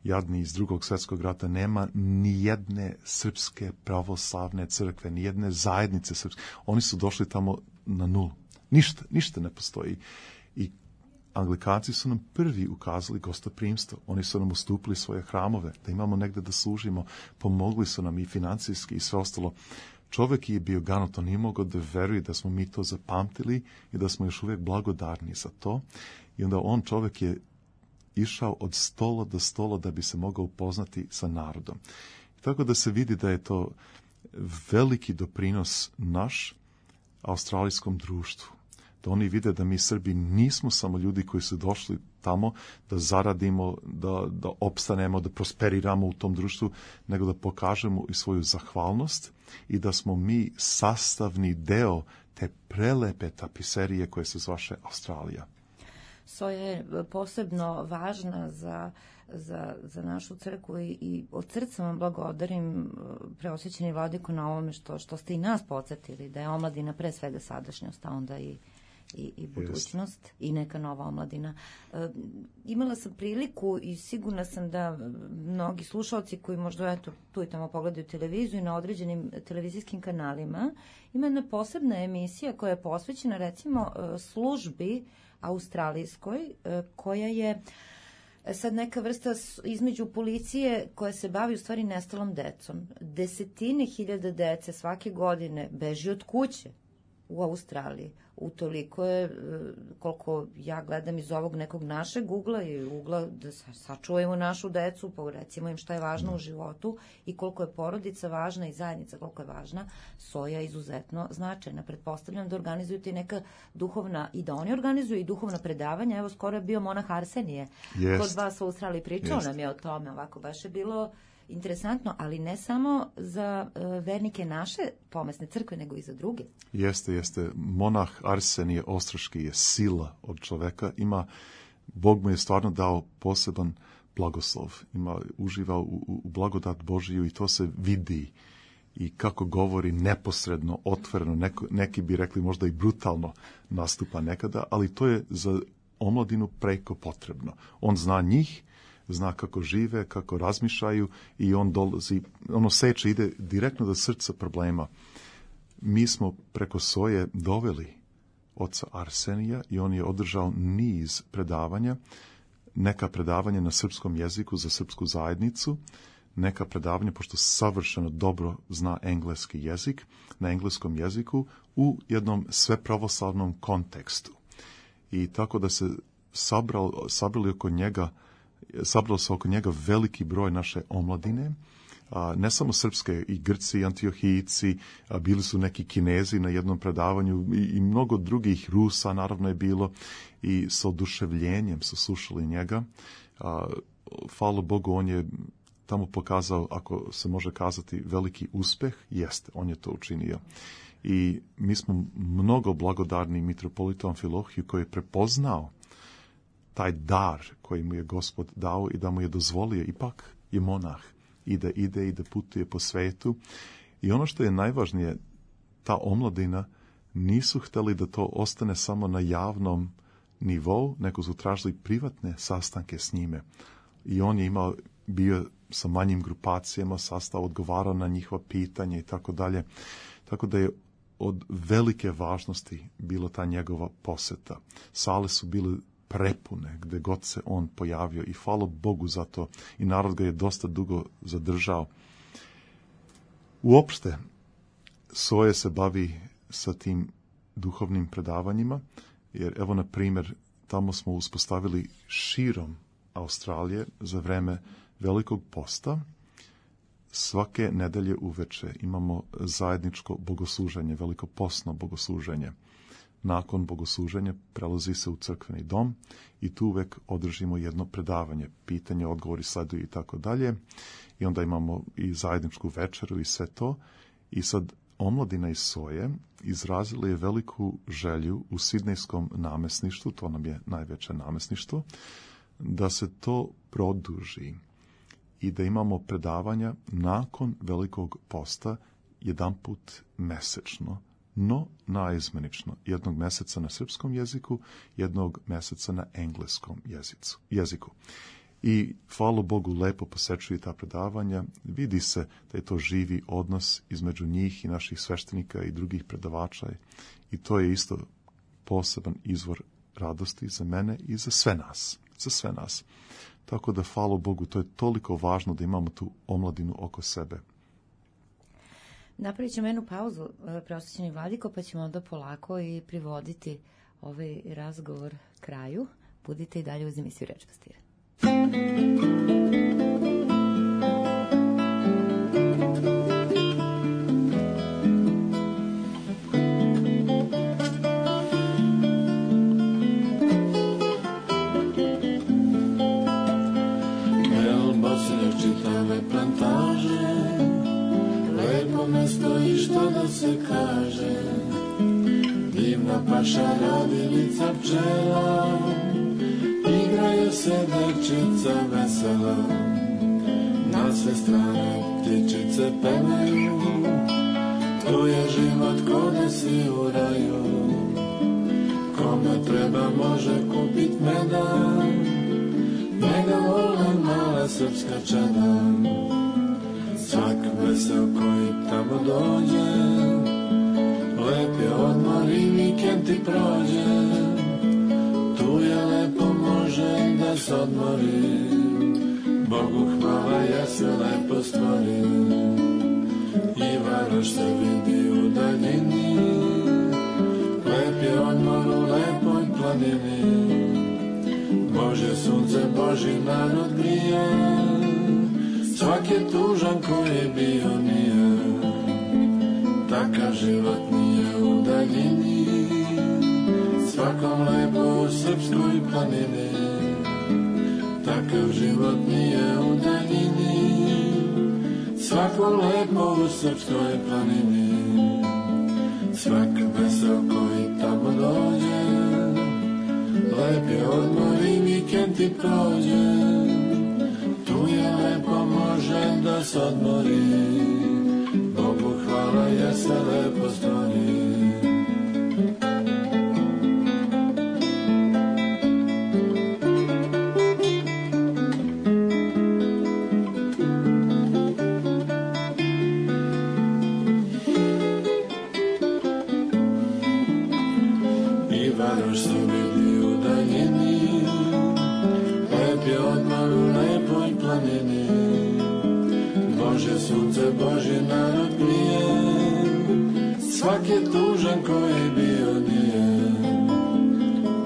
jadni iz drugog svjetskog rata, nema ni jedne srpske pravoslavne crkve, ni jedne zajednice srpske. Oni su došli tamo na nulu. Ništa, ništa ne postoji. I Anglikanci su nam prvi ukazali gostoprimstvo. Oni su nam ustupili svoje hramove, da imamo negde da služimo. Pomogli su nam i financijski i sve ostalo. Čovjek je bio ganut, on nije mogao da veruje da smo mi to zapamtili i da smo još uvijek blagodarni za to. I onda on, čovjek, je išao od stola do stola da bi se mogao upoznati sa narodom. Tako da se vidi da je to veliki doprinos naš australijskom društvu. Da oni vide da mi Srbi nismo samo ljudi koji su došli tamo da zaradimo, da, da opstanemo, da prosperiramo u tom društvu, nego da pokažemo i svoju zahvalnost i da smo mi sastavni deo te prelepe tapiserije koje se zvaše Australija.
Soja je posebno važna za, za, za našu crkvu i, i od srca vam blagodarim, preosjećeni vladiko, na ovome što, što ste i nas podsjetili, da je omladina pre svega sadašnjost, a onda i I, i budućnost yes. i neka nova omladina. E, imala sam priliku i sigurna sam da mnogi slušalci koji možda eto, tu i tamo pogledaju televiziju i na određenim televizijskim kanalima, ima jedna posebna emisija koja je posvećena recimo službi australijskoj, koja je sad neka vrsta između policije koja se bavi u stvari nestalom decom. Desetine hiljada dece svake godine beži od kuće u Australiji. Utoliko je, koliko ja gledam iz ovog nekog našeg ugla i ugla da sačuvajmo našu decu, pa recimo im šta je važno u životu i koliko je porodica važna i zajednica koliko je važna, Soja je izuzetno značajna. Pretpostavljam da organizuju ti neka duhovna, i da oni organizuju i duhovna predavanja. Evo, skoro je bio monah Arsenije
Jest.
Kod vas u Australiji, pričao
Jest.
nam je o tome, ovako baš je bilo interesantno, ali ne samo za uh, vernike naše pomesne crkve, nego i za druge.
Jeste, jeste. Monah Arsenije Ostroški je sila od čoveka. Ima, Bog mu je stvarno dao poseban blagoslov. Ima, uživa u, u blagodat Božiju i to se vidi. I kako govori neposredno, otvoreno, neko, neki bi rekli možda i brutalno nastupa nekada, ali to je za omladinu preko potrebno. On zna njih, zna kako žive, kako razmišljaju i on dolazi, ono seče, ide direktno do srca problema. Mi smo preko Soje doveli oca Arsenija i on je održao niz predavanja, neka predavanja na srpskom jeziku za srpsku zajednicu, neka predavanja, pošto savršeno dobro zna engleski jezik, na engleskom jeziku u jednom svepravoslavnom kontekstu. I tako da se sabral, sabrali oko njega sabralo se oko njega veliki broj naše omladine, a, ne samo srpske, i Grci, i Antiohijci, a, bili su neki Kinezi na jednom predavanju i, i mnogo drugih, Rusa naravno je bilo, i sa oduševljenjem su slušali njega. A, hvala Bogu, on je tamo pokazao, ako se može kazati, veliki uspeh. Jeste, on je to učinio. I mi smo mnogo blagodarni mitropolitu Amfilohiju koji je prepoznao taj dar koji mu je Gospod dao i da mu je dozvolio, ipak je monah i da ide i da putuje po svetu. I ono što je najvažnije, ta omladina nisu htjeli da to ostane samo na javnom nivou, nego su tražili privatne sastanke s njime. I on je imao, bio sa manjim grupacijama, sastao, odgovarao na njihova pitanja i tako dalje. Tako da je od velike važnosti bila ta njegova poseta. Sale su bile prepune gde god se on pojavio i hvala Bogu za to i narod ga je dosta dugo zadržao. Uopšte, Soje se bavi sa tim duhovnim predavanjima, jer evo na primjer tamo smo uspostavili širom Australije za vreme Velikog posta. Svake nedelje uveče imamo zajedničko bogosluženje, velikopostno bogosluženje. Nakon bogosluženja prelazi se u crkveni dom i tu uvek održimo jedno predavanje, pitanje, odgovori, sleduju i tako dalje. I onda imamo i zajedničku večeru i sve to. I sad omladina iz Soje izrazila je veliku želju u sidnejskom namesništvu, to nam je najveće namesništvo, da se to produži. i da imamo predavanja nakon Velikog posta jedan put mesečno, no naizmenično, jednog meseca na srpskom jeziku, jednog meseca na engleskom jezicu, jeziku. I, hvala Bogu, lepo posečuje ta predavanja. Vidi se da je to živi odnos između njih i naših sveštenika i drugih predavača. I to je isto poseban izvor radosti za mene i za sve nas. Za sve nas. Tako da, hvala Bogu, to je toliko važno da imamo tu omladinu oko sebe.
Napravit ćemo jednu pauzu, preosvećeni Vladiko, pa ćemo onda polako i privoditi ovaj razgovor kraju. Budite i dalje uz emisiju Reč Pastira.
Čitave plantaže, lepo mesto i što da se kaže, divna paša radilica pčela, igraju se devčica vesela, na sve strane ptičice pevaju, tu je život ko da si u raju, kome treba može kupit meda, njega vole mala srpska čada. Svak vesel koji tamo dođe, lep je odmor i vikend ti prođe, tu je lepo može da se odmori, Bogu hvala ja se lepo stvori. I Varoš se vidi u daljini, lep je odmor u lepoj planini, Bože sunce, Boži narod grije, svak je tužan koji bio nije, takav život nije u daljini, svakom lepo u srpskoj planini, takav život nije u daljini, svakom lepo u srpskoj planini, svak vesel koji tamo dođe, lep je odmor i vikend ti prođe, tu je lepo može da se odmori, Bogu hvala ja se lepo stvori. I Varoš se vidi u daljini, lep je odmor u lepoj planini, Bože sunce, Boži narod grije, svak je tužan koji bio nije,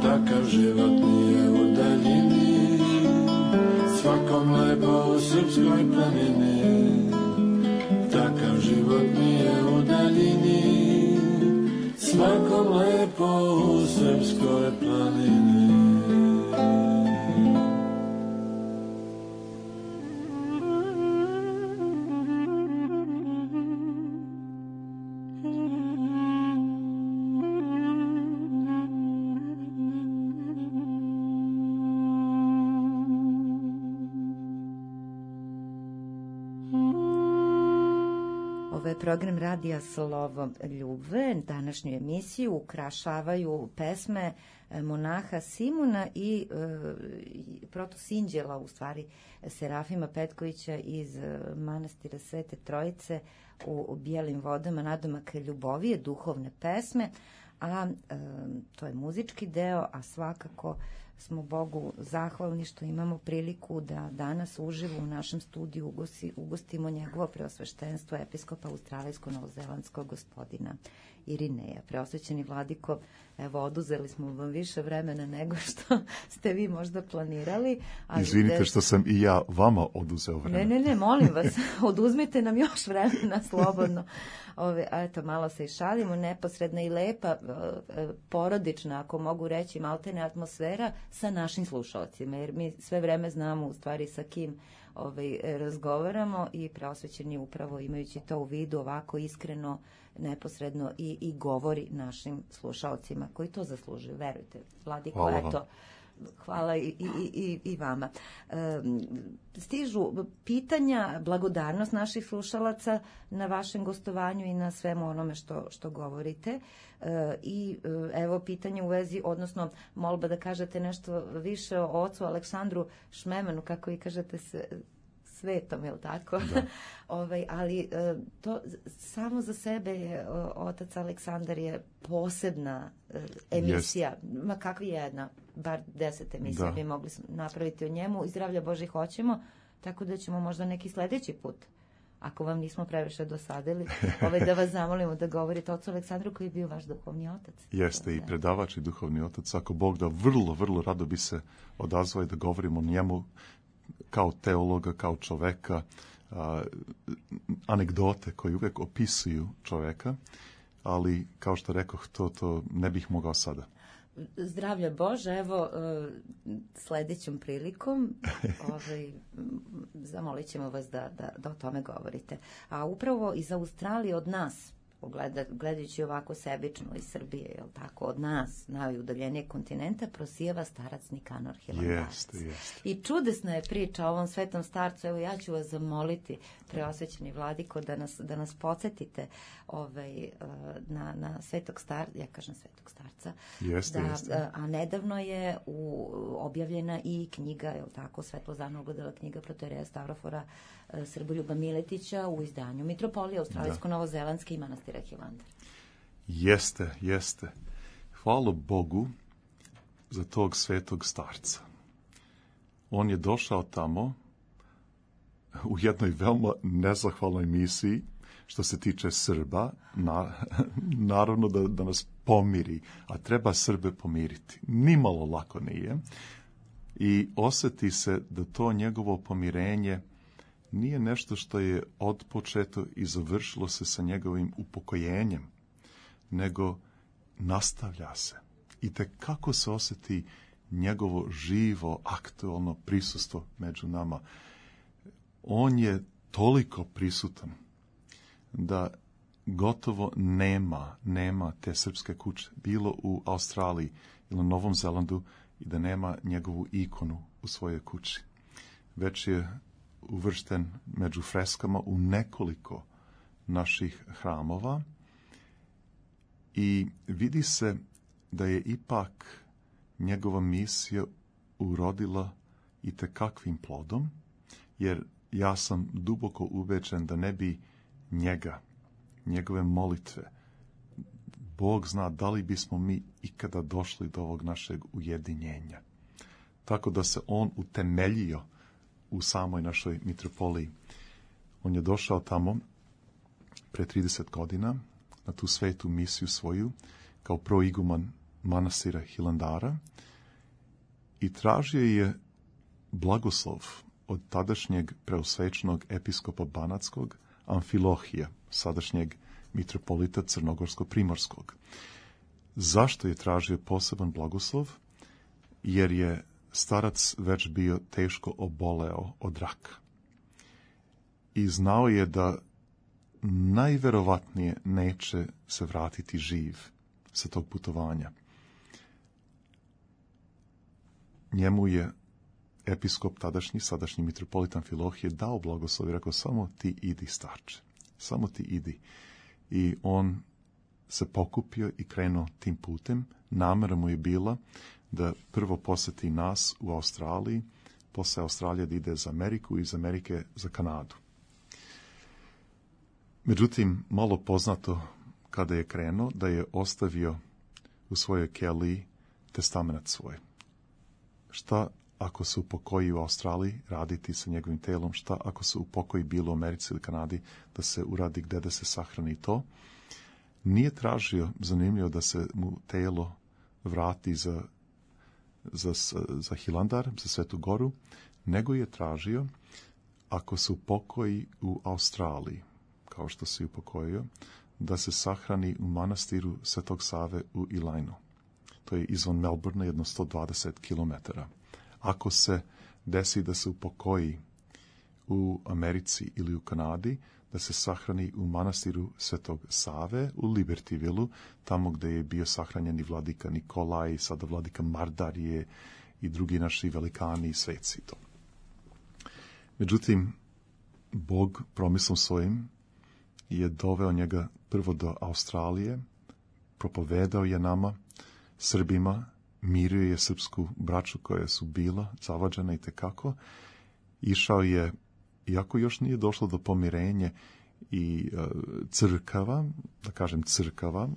takav život nije u daljini, svakom lepo u srpskoj planini, takav život nije u daljini, svakom lepo u srpskoj planini.
Program radija Slovo Ljubve, današnju emisiju ukrašavaju pesme monaha Simuna i e, protosinđela, u stvari Serafima Petkovića iz manastira Svete Trojice u Bijelim vodama, nadomak ljubovije, duhovne pesme, a e, to je muzički deo, a svakako smo Bogu zahvalni što imamo priliku da danas uživo u našem studiju ugosti, ugostimo njegovo preosveštenstvo episkopa australijsko-novozelandskog gospodina Irineja. Preosvećeni Vladiko, evo, oduzeli smo vam više vremena nego što ste vi možda planirali. Ali
izvinite
de...
što sam i ja vama oduzeo vremena.
Ne, ne, ne, molim vas, oduzmite nam još vremena slobodno. Ove, eto, malo se i šalimo, neposredna i lepa, porodična, ako mogu reći, maltene atmosfera sa našim slušalcima, jer mi sve vreme znamo u stvari sa kim ovaj, razgovaramo i preosvećeni upravo imajući to u vidu ovako iskreno, neposredno i, i govori našim slušalcima koji to zaslužuju, verujte. Vladiko,
hvala
eto, Hvala i, i, i, i vama. Stižu pitanja, blagodarnost naših slušalaca na vašem gostovanju i na svemu onome što, što govorite. I evo pitanje u vezi, odnosno molba da kažete nešto više o ocu Aleksandru Šmemanu, kako vi kažete se, svetom, je li tako? ovaj, ali to samo za sebe je, otac Aleksandar je posebna emisija, yes. ma kakva jedna, bar deset emisija da. bi mogli napraviti o njemu i zdravlja Božih hoćemo, tako da ćemo možda neki sledeći put, ako vam nismo previše dosadili, ovaj, da vas zamolimo da govorite o ocu Aleksandru koji je bio vaš duhovni otac.
Jeste da. i predavač i duhovni otac, ako Bog da, vrlo, vrlo rado bi se odazvao i da govorimo o njemu kao teologa, kao čoveka, a, anegdote koje uvek opisuju čoveka, ali kao što rekoh, to, to ne bih mogao sada.
Zdravlja Bože, evo sledećom prilikom ovaj, zamolit ćemo vas da, da, da o tome govorite. A upravo iz Australije od nas, Gleda, gledajući ovako sebično iz Srbije, jel tako, od nas, najudaljenijeg kontinenta, prosijeva starac Nikanor Hilandarac.
Jeste, jeste.
I čudesna je priča o ovom svetom starcu. Evo, ja ću vas zamoliti, preosvećeni vladiko, da nas, da nas podsjetite ovaj, na, na svetog starca, ja kažem svetog starca.
Jeste,
da,
jeste.
A nedavno je u, objavljena i knjiga, jel tako, Svetlozarno ogledala knjiga protoijereja Stavrofora Srboljuba Miletića u izdanju Mitropolije Australijsko-Novozelandske i manastira Hilandar.
Jeste, jeste. Hvala Bogu za tog svetog starca. On je došao tamo u jednoj veoma nezahvalnoj misiji što se tiče Srba, na, naravno da, da nas pomiri, a treba Srbe pomiriti. Nimalo lako nije. I osjeti se da to njegovo pomirenje nije nešto što je otpočeto i završilo se sa njegovim upokojenjem, nego nastavlja se. I te kako se osjeti njegovo živo, aktualno prisustvo među nama. On je toliko prisutan da gotovo nema, nema te srpske kuće, bilo u Australiji ili na Novom Zelandu, i da nema njegovu ikonu u svojoj kući. Već je uvršten među freskama u nekoliko naših hramova i vidi se da je ipak njegova misija urodila i tekakvim plodom, jer ja sam duboko ubeđen da ne bi njega, njegove molitve, Bog zna da li bismo mi ikada došli do ovog našeg ujedinjenja. Tako da se on utemeljio u samoj našoj mitropoliji. On je došao tamo pre trideset godina na tu svetu misiju svoju kao proiguman manastira Hilandara i tražio je blagoslov od tadašnjeg preosvećenog episkopa Banatskog Amfilohija, sadašnjeg mitropolita Crnogorsko-Primorskog. Zašto je tražio poseban blagoslov? Jer je starac već bio teško oboleo od raka. I znao je da najverovatnije neće se vratiti živ sa tog putovanja. Njemu je episkop tadašnji, sadašnji mitropolit Amfilohije dao blagoslov i rekao, samo ti idi, starče, samo ti idi. I on se pokupio i krenuo tim putem. Namera mu je bila da prvo poseti nas u Australiji, posle Australije da ide za Ameriku i iz Amerike za Kanadu. Međutim, malo poznato kada je krenuo, da je ostavio u svojoj keliji testament svoj. Šta ako se upokoji u Australiji, raditi sa njegovim telom, šta ako se upokoji bilo u Americi ili Kanadi, da se uradi gde da se sahrani to. Nije tražio, zanimljivo, da se mu telo vrati za, za, za Hilandar, za Svetu Goru, nego je tražio, ako se upokoji u Australiji, kao što se upokojio, da se sahrani u manastiru Svetog Save u Ilainu. To je izvan Melbourne, jedno sto dvadeset kilometara. Ako se desi da se upokoji u Americi ili u Kanadi, da se sahrani u manastiru Svetog Save u Libertyvillu, tamo gde je bio sahranjen i vladika Nikolaj, sada vladika Mardarije i drugi naši velikani i sveci. To. Međutim, Bog promislom svojim je doveo njega prvo do Australije, propovedao je nama, Srbima, mirio je srpsku braću koja su bila zavađena i tekako. Išao je, iako još nije došlo do pomirenja i e, crkava, da kažem crkava,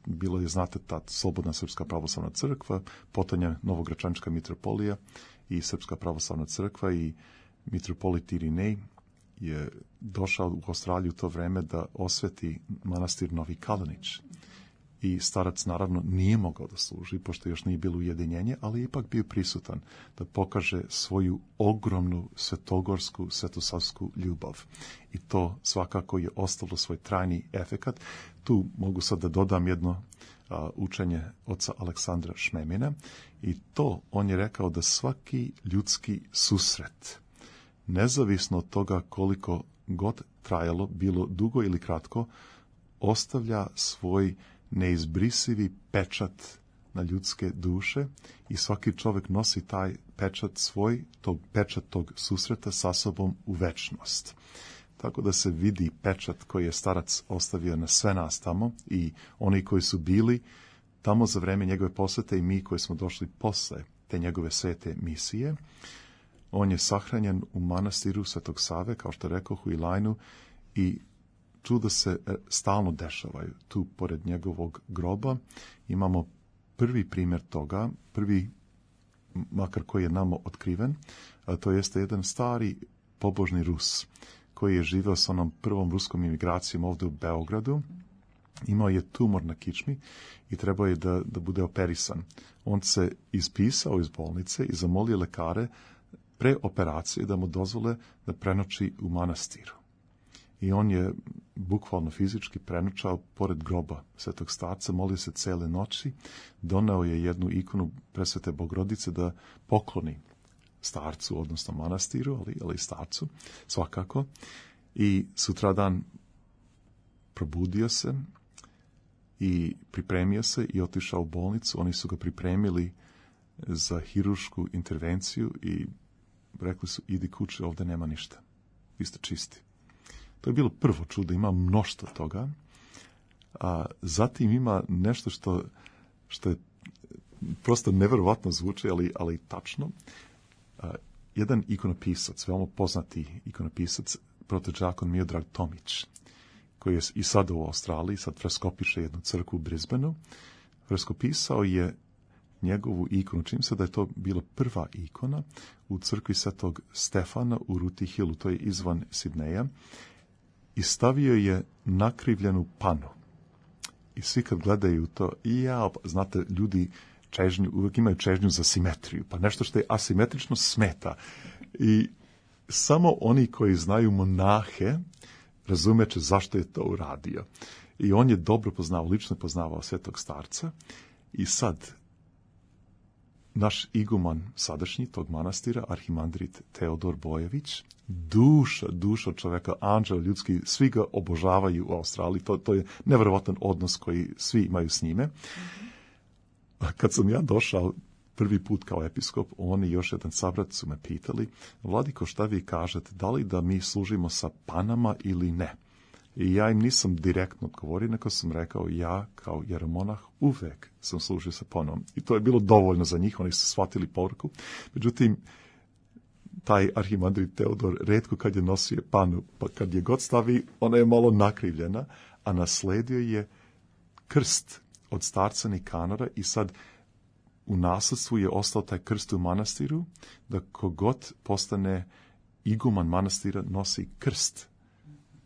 bilo je, znate, ta Slobodna srpska pravoslavna crkva, potonja Novogračanička mitropolija i Srpska pravoslavna crkva i mitropolit Irinej je došao u Australiju u to vreme da osveti manastir Novi Kalinić. I starac naravno nije mogao da služi, pošto još nije bilo ujedinjenje, ali ipak bio prisutan da pokaže svoju ogromnu svetogorsku, svetosavsku ljubav. I to svakako je ostalo svoj trajni efekat. Tu mogu sad da dodam jedno a, učenje oca Aleksandra Šmemina i to on je rekao da svaki ljudski susret, nezavisno od toga koliko god trajalo, bilo dugo ili kratko, ostavlja svoj neizbrisivi pečat na ljudske duše i svaki čovjek nosi taj pečat svoj, tog pečat tog susreta sa sobom u večnost. Tako da se vidi pečat koji je starac ostavio na sve nas tamo i oni koji su bili tamo za vreme njegove posete i mi koji smo došli posle te njegove svete misije. On je sahranjen u manastiru Svetog Save, kao što rekoh, u Ilajnu, i čuda se stalno dešavaju. Tu, pored njegovog groba, imamo prvi primjer toga, prvi, makar koji je nama otkriven, a to jeste jedan stari pobožni Rus, koji je živeo s onom prvom ruskom imigracijom ovdje u Beogradu. Imao je tumor na kičmi i trebao je da, da bude operisan. On se ispisao iz bolnice i zamolio lekare pre operacije da mu dozvole da prenoći u manastiru. I on je bukvalno fizički prenoćao pored groba Svetog starca, molio se cele noći, doneo je jednu ikonu Presvete Bogorodice da pokloni starcu, odnosno manastiru, ali, ali starcu, svakako. I sutradan probudio se i pripremio se i otišao u bolnicu. Oni su ga pripremili za hirušku intervenciju i rekli su, idi kući, ovdje nema ništa. Vi ste čisti. To je bilo prvo čudo, ima mnoštvo toga. A zatim ima nešto što, što je prosto neverovatno zvuči, ali, ali tačno. A, jedan ikonopisac, veoma poznati ikonopisac, protođakon Miodrag Tomić, koji je i sad u Australiji, sad freskopiše jednu crkvu u Brisbaneu, freskopisao je njegovu ikonu. Čim se da je to bila prva ikona u crkvi Svetog Stefana u Ruti Hillu, to je izvan Sidneja, i stavio je nakrivljenu panu. I svi kad gledaju to, i ja, znate, ljudi čežnju, uvijek imaju čežnju za simetriju, pa nešto što je asimetrično smeta. I samo oni koji znaju monahe razumeće zašto je to uradio. I on je dobro poznao, lično poznavao Svetog starca i sad naš iguman sadašnji tog manastira, arhimandrit Teodor Bojević, duša, duša čoveka, anđel ljudski, svi ga obožavaju u Australiji, to, to je nevjerovatan odnos koji svi imaju s njime. A kad sam ja došao prvi put kao episkop, on i još jedan sabrat su me pitali, Vladiko, šta vi kažete, da li da mi služimo sa panama ili ne? I ja im nisam direktno odgovorio, nego sam rekao, ja kao jeromonah uvek sam služio sa panom. I to je bilo dovoljno za njih, oni su shvatili poruku. Međutim, taj arhimandrit Teodor retko kad je nosio panu, pa kad je god stavi, ona je malo nakrivljena, a nasledio je krst od starca Nikanora i sad u nasledstvu je ostao taj krst u manastiru, da kogod postane iguman manastira nosi krst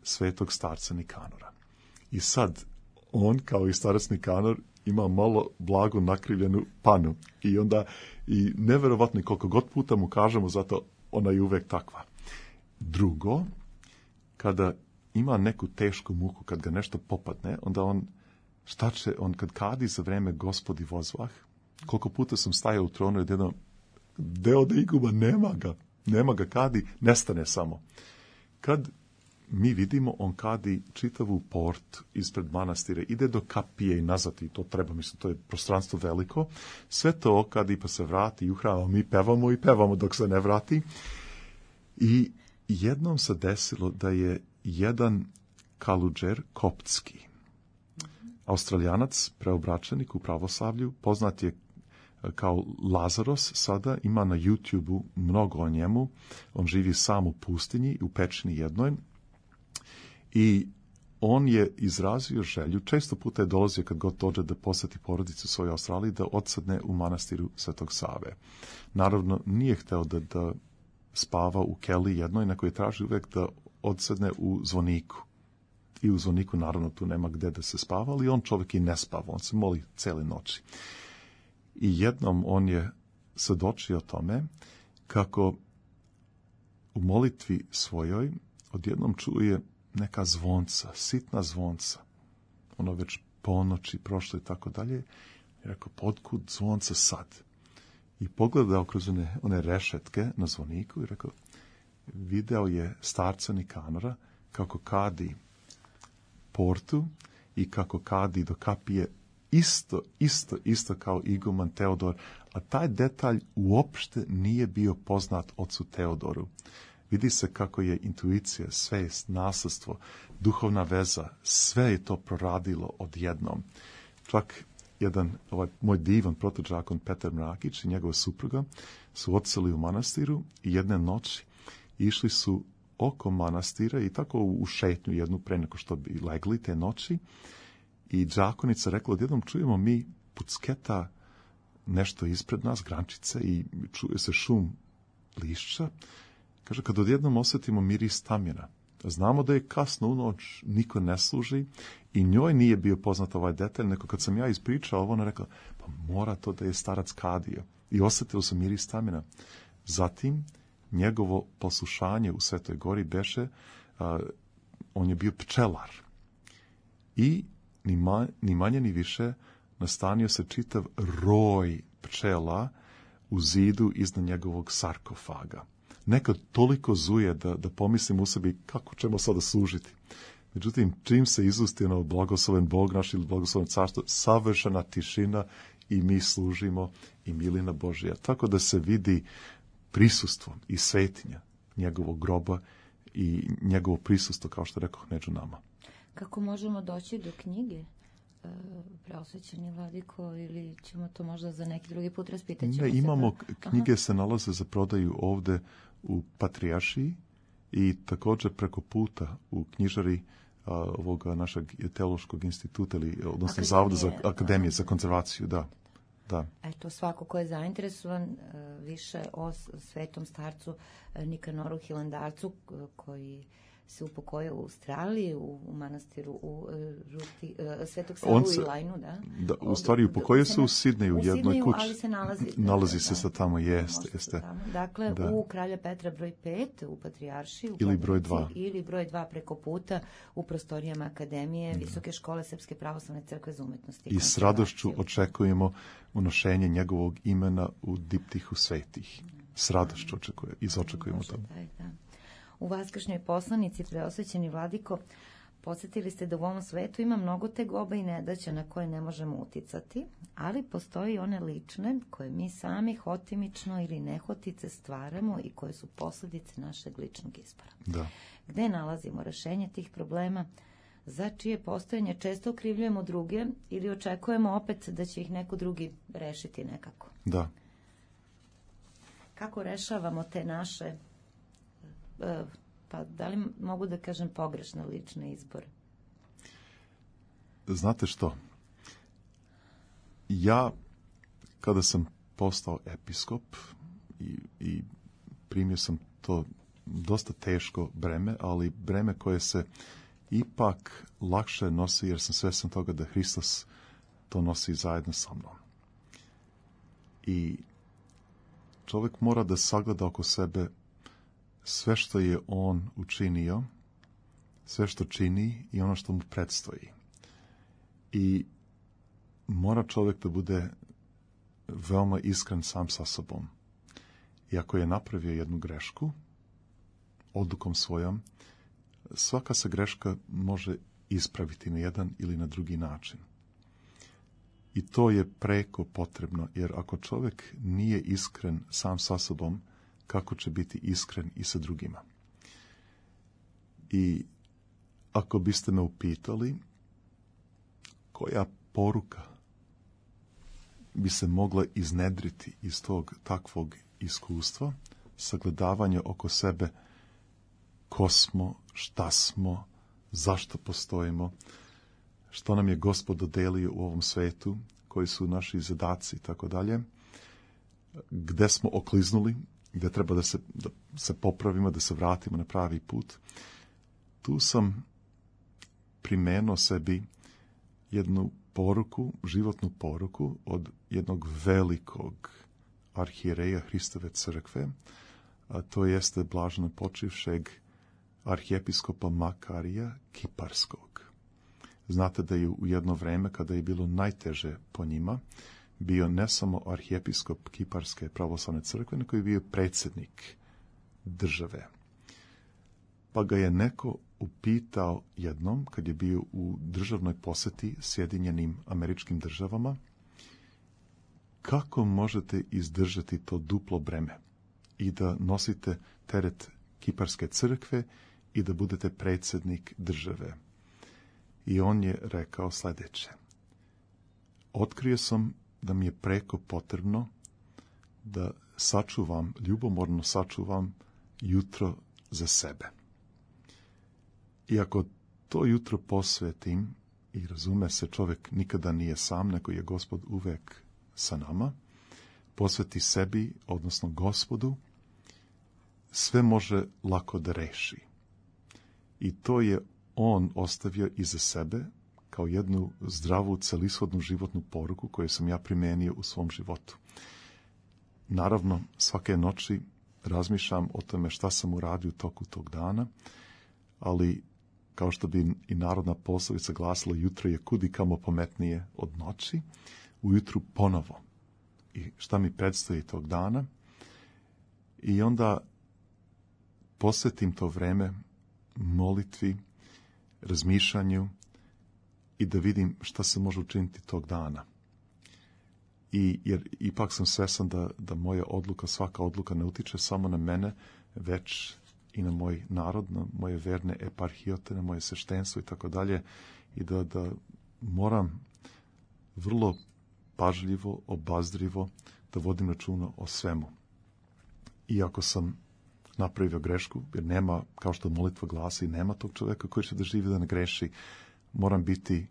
Svetog starca Nikanora. I sad on, kao i starac Nikanor, ima malo blago nakrivljenu panu. I onda, i neverovatno koliko god puta mu kažemo, zato ona je uvek takva. Drugo, kada ima neku tešku muku, kad ga nešto popadne, onda on, šta će, on kad kadi za vreme Gospodi vozvah, koliko puta sam stajao u tronu i odjednom, deo da iguba, nema ga, nema ga, kadi, nestane samo. Kad mi vidimo, on kadi čitavu port ispred manastira, ide do kapije i nazad, i to treba, mislim, to je prostranstvo veliko. Sve to okadi pa se vrati i u hram, mi pevamo i pevamo dok se ne vrati. I jednom se desilo da je jedan kaludžer koptski, Australijanac, preobraćenik u pravoslavlju, poznat je kao Lazaros, sada ima na YouTubeu mnogo o njemu. On živi sam u pustinji, u pećini jednoj. I on je izrazio želju, često puta je dolazio kad god dođe da poseti porodicu u svojoj Australiji, da odsedne u manastiru Svetog Save. Naravno, nije hteo da, da spava u keli jednoj, nego je traži uvek da odsedne u zvoniku. I u zvoniku, naravno, tu nema gde da se spava, ali on čovjek i ne spava, on se moli cele noći. I jednom on je svedočio tome kako u molitvi svojoj odjednom čuje neka zvonca, sitna zvonca. Ono već ponoći, prošlo i tako dalje. I rekao, otkud zvonca sad? I pogledao kroz one, one rešetke na zvoniku i rekao, video je starca Nikanora kako kadi portu i kako kadi do kapije isto, isto, isto kao iguman Teodor, a taj detalj uopšte nije bio poznat ocu Teodoru. Vidi se kako je intuicija, svest, nasledstvo, duhovna veza, sve je to proradilo odjednom. Čak jedan, ovaj moj divan protođakon Petar Mrakić i njegova supruga su odseli u manastiru i jedne noći išli su oko manastira i tako u šetnju jednu pre nego što bi legli te noći. I džakonica rekla, odjednom čujemo mi pucketa nešto ispred nas, grančice, i čuje se šum lišća. Kaže, kad odjednom osjetimo miris tamjena, znamo da je kasno u noć, niko ne služi i njoj nije bio poznat ovaj detalj, nego kad sam ja ispričao ovo, ona rekla, pa mora to da je starac kadio. I osjetilo sam miris tamjena. Zatim, njegovo poslušanje u Svetoj Gori beše, a, on je bio pčelar. I ni, ma, ni manje ni više nastanio se čitav roj pčela u zidu iznad njegovog sarkofaga. Nekad toliko zuje da, da pomislim u sebi kako ćemo sada služiti. Međutim, čim se izusti ono blagosloven Bog naš ili blagosloven carstvo, savršena tišina i mi služimo i milina Božja. Tako da se vidi prisustvo i svetinja njegovog groba i njegovo prisustvo, kao što rekao, među nama.
Kako možemo doći do knjige? Preosvećeni Vladiko, ili ćemo to možda za neki drugi put raspitati?
Ne, imamo, knjige se nalaze za prodaju ovde u Patrijaršiji i također preko puta u knjižari a, ovoga našeg teološkog instituta, ili, odnosno Akademije, Zavoda za Akademije za konzervaciju, da. Da.
Eto, svako ko je zainteresovan više o svetom starcu Nikanoru Hilandarcu, koji se upokojio u Australiji, u, u manastiru u Ruti, uh, Svetog Sava u Ilajnu, da?
Da, u stvari upokojio se u Sidneju, u jednoj
Sidneju,
kući.
ali se nalazi.
Nalazi
da,
se
da,
sa tamo, jeste, jeste.
Tamo. Dakle, da. U Kralja Petra broj pet, u Patrijaršiji, u
ili broj dva.
Ili broj dva preko puta u prostorijama Akademije, da. Visoke škole Srpske pravoslavne crkve za umetnosti. I,
I s radošću očekujemo unošenje njegovog imena u diptihu svetih. S radošću očekujemo, izočekujemo to.
Da, da. U vaskršnjoj poslanici, Preosvećeni Vladiko, podsjetili ste da u ovom svetu ima mnogo tegoba i nedaća na koje ne možemo uticati, ali postoji one lične koje mi sami hotimično ili nehotice stvaramo i koje su posljedice našeg ličnog izbora.
Da.
Gde nalazimo rešenje tih problema, za čije postojanje često okrivljujemo druge ili očekujemo opet da će ih neko drugi rešiti nekako.
Da.
Kako rešavamo te naše, pa da li mogu da kažem pogrešne lične izbore?
Znate što? Ja, kada sam postao episkop i, i primio sam to dosta teško breme, ali breme koje se ipak lakše nosi, jer sam svestan toga da Hristos to nosi zajedno sa mnom. I čovjek mora da sagleda oko sebe sve što je on učinio, sve što čini i ono što mu predstoji. I mora čovjek da bude veoma iskren sam sa sobom. I ako je napravio jednu grešku, odlukom svojom, svaka se greška može ispraviti na jedan ili na drugi način. I to je preko potrebno, jer ako čovjek nije iskren sam sa sobom, kako će biti iskren i sa drugima? I ako biste me upitali koja poruka bi se mogla iznedriti iz tog takvog iskustva, sagledavanja oko sebe ko smo, šta smo, zašto postojimo, što nam je Gospod dodelio u ovom svetu, koji su naši zadaci i tako dalje, gde smo okliznuli, gde treba da se, da se popravimo, da se vratimo na pravi put. Tu sam primenuo sebi jednu poruku, životnu poruku od jednog velikog arhijereja Hristove crkve, a to jeste blaženo počivšeg arhijepiskopa Makarija Kiparskog. Znate da je u jedno vreme, kada je bilo najteže po njima, bio ne samo arhijepiskop Kiparske pravoslavne crkve, nego je bio predsjednik države. Pa ga je neko upitao jednom, kad je bio u državnoj posjeti Sjedinjenim Američkim Državama, kako možete izdržati to duplo breme i da nosite teret Kiparske crkve i da budete predsjednik države. I on je rekao sljedeće: otkrio sam da mi je preko potrebno da sačuvam, ljubomorno sačuvam jutro za sebe. I ako to jutro posvetim, i razume se, čovjek nikada nije sam, nego je Gospod uvek sa nama, posveti sebi, odnosno Gospodu, sve može lako da reši. I to je on ostavio iza sebe kao jednu zdravu, celishodnu životnu poruku koju sam ja primenio u svom životu. Naravno, svake noći razmišljam o tome šta sam uradio u toku tog dana, ali kao što bi i narodna poslovica glasila, jutro je kudi kamo pametnije od noći, ujutru ponovo. I šta mi predstoji tog dana? I onda posvetim to vreme molitvi, razmišljanju i da vidim šta se može učiniti tog dana. I, jer ipak sam svestan da, da moja odluka, svaka odluka ne utiče samo na mene, već i na moj narod, na moje verne eparhijote, na moje sveštenstvo i tako dalje, i da, da moram vrlo pažljivo, obazrivo da vodim računa o svemu. Iako sam napravio grešku, jer nema, kao što molitva glasi, nema tog čovjeka koji će da živi da ne greši, moram biti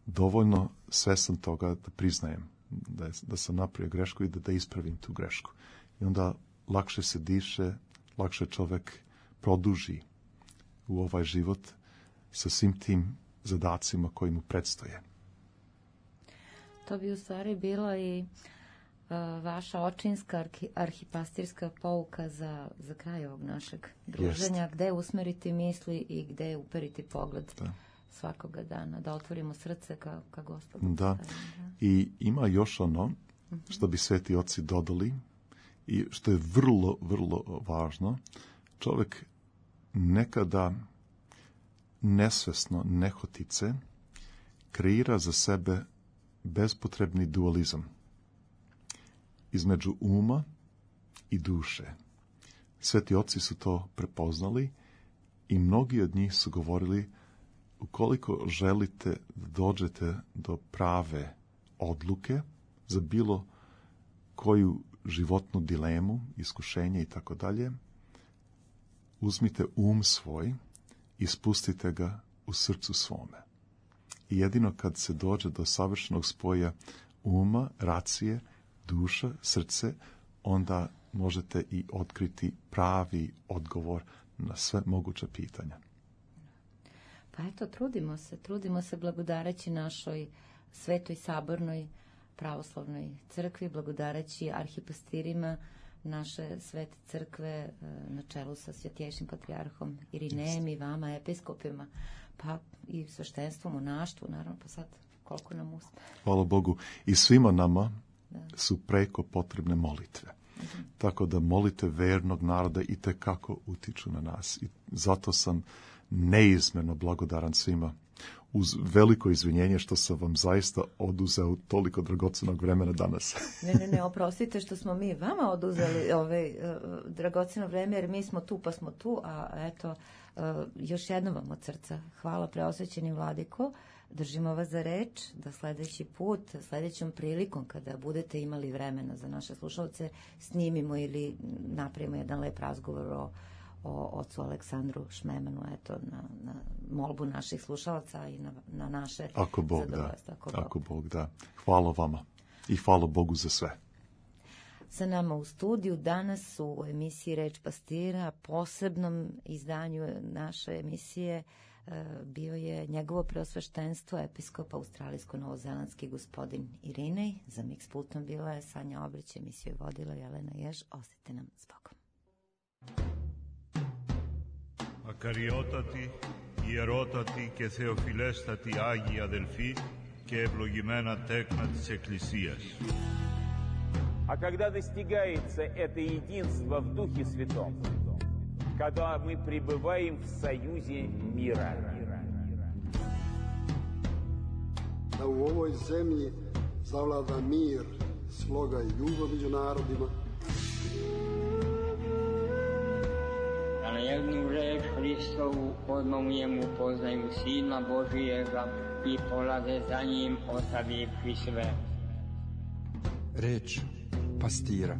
dovoljno svestan toga da priznajem da, je, da sam napravio grešku i da, da ispravim tu grešku. I onda lakše se diše, lakše čovjek produži u ovaj život sa svim tim zadacima koji mu predstoje.
To bi u stvari bila i uh, vaša očinska arhi, arhipastirska pouka za, za kraj ovog našeg druženja, Jest. Gde usmeriti misli i gde uperiti pogled da. Svakoga dana, da otvorimo srce ka, ka Gospodu.
Da. da, i ima još ono uh-huh. što bi sveti oci dodali i što je vrlo, vrlo važno. Čovjek nekada nesvesno, nehotice, kreira za sebe bespotrebni dualizam između uma i duše. Sveti oci su to prepoznali i mnogi od njih su govorili, ukoliko želite da dođete do prave odluke za bilo koju životnu dilemu, iskušenje i tako dalje, uzmite um svoj i spustite ga u srcu svome. I jedino kad se dođe do savršenog spoja uma, racije, duša, srce, onda možete i otkriti pravi odgovor na sve moguća pitanja.
Pa eto, trudimo se, trudimo se blagodareći našoj svetoj sabornoj pravoslavnoj crkvi, blagodareći arhipastirima naše svete crkve na čelu sa svjetješim patrijarhom Irinejem i vama, episkopima, pa i sveštenstvom, monaštvu, naravno, pa sad koliko nam uspe.
Hvala Bogu. I svima nama da. su preko potrebne molitve. Tako da molite vernog naroda i tekako utiču na nas. I zato sam neizmjerno blagodaran svima. Uz veliko izvinjenje što sam vam zaista oduzeo toliko dragocenog vremena danas.
Ne, ne, ne, oprostite što smo mi vama oduzeli ovaj, uh, dragoceno vreme, jer mi smo tu pa smo tu, a eto, uh, još jednom vam od srca hvala preosvećeni vladiko, držimo vas za reč, da sledeći put, sledećom prilikom kada budete imali vremena za naše slušalce, snimimo ili napravimo jedan lep razgovor o o ocu Aleksandru Šmemanu, eto, na, na molbu naših slušalaca i na, na naše
ako Bog
zadovoljstvo.
Da. Ako, ako Bog da. Hvala vama i hvala Bogu za sve.
Sa nama u studiju danas u emisiji Reč pastira, posebnom izdanju naše emisije, bio je njegovo preosveštenstvo, episkop australijsko-novozelandski gospodin Irinej. Za Mix pultom bila je Sanja Obrić, emisiju je vodila Jelena Jež. Ostajte nam s Bogom.
Ακαριότατη, ιερότατη και θεοφιλέστατη Άγιοι αδελφοί και ευλογημένα τέκνα της Εκκλησίας.
А когда достигается это единство в Духе Святом, когда мы пребываем в союзе мира.
Da u ovoj zemlji zavlada mir, sloga i ljubav među narodima.
Da na jednu reč Hristovu odmah u njemu poznaju Sina Božijega i polaze za njim ostavivši sve.
Reč pastira.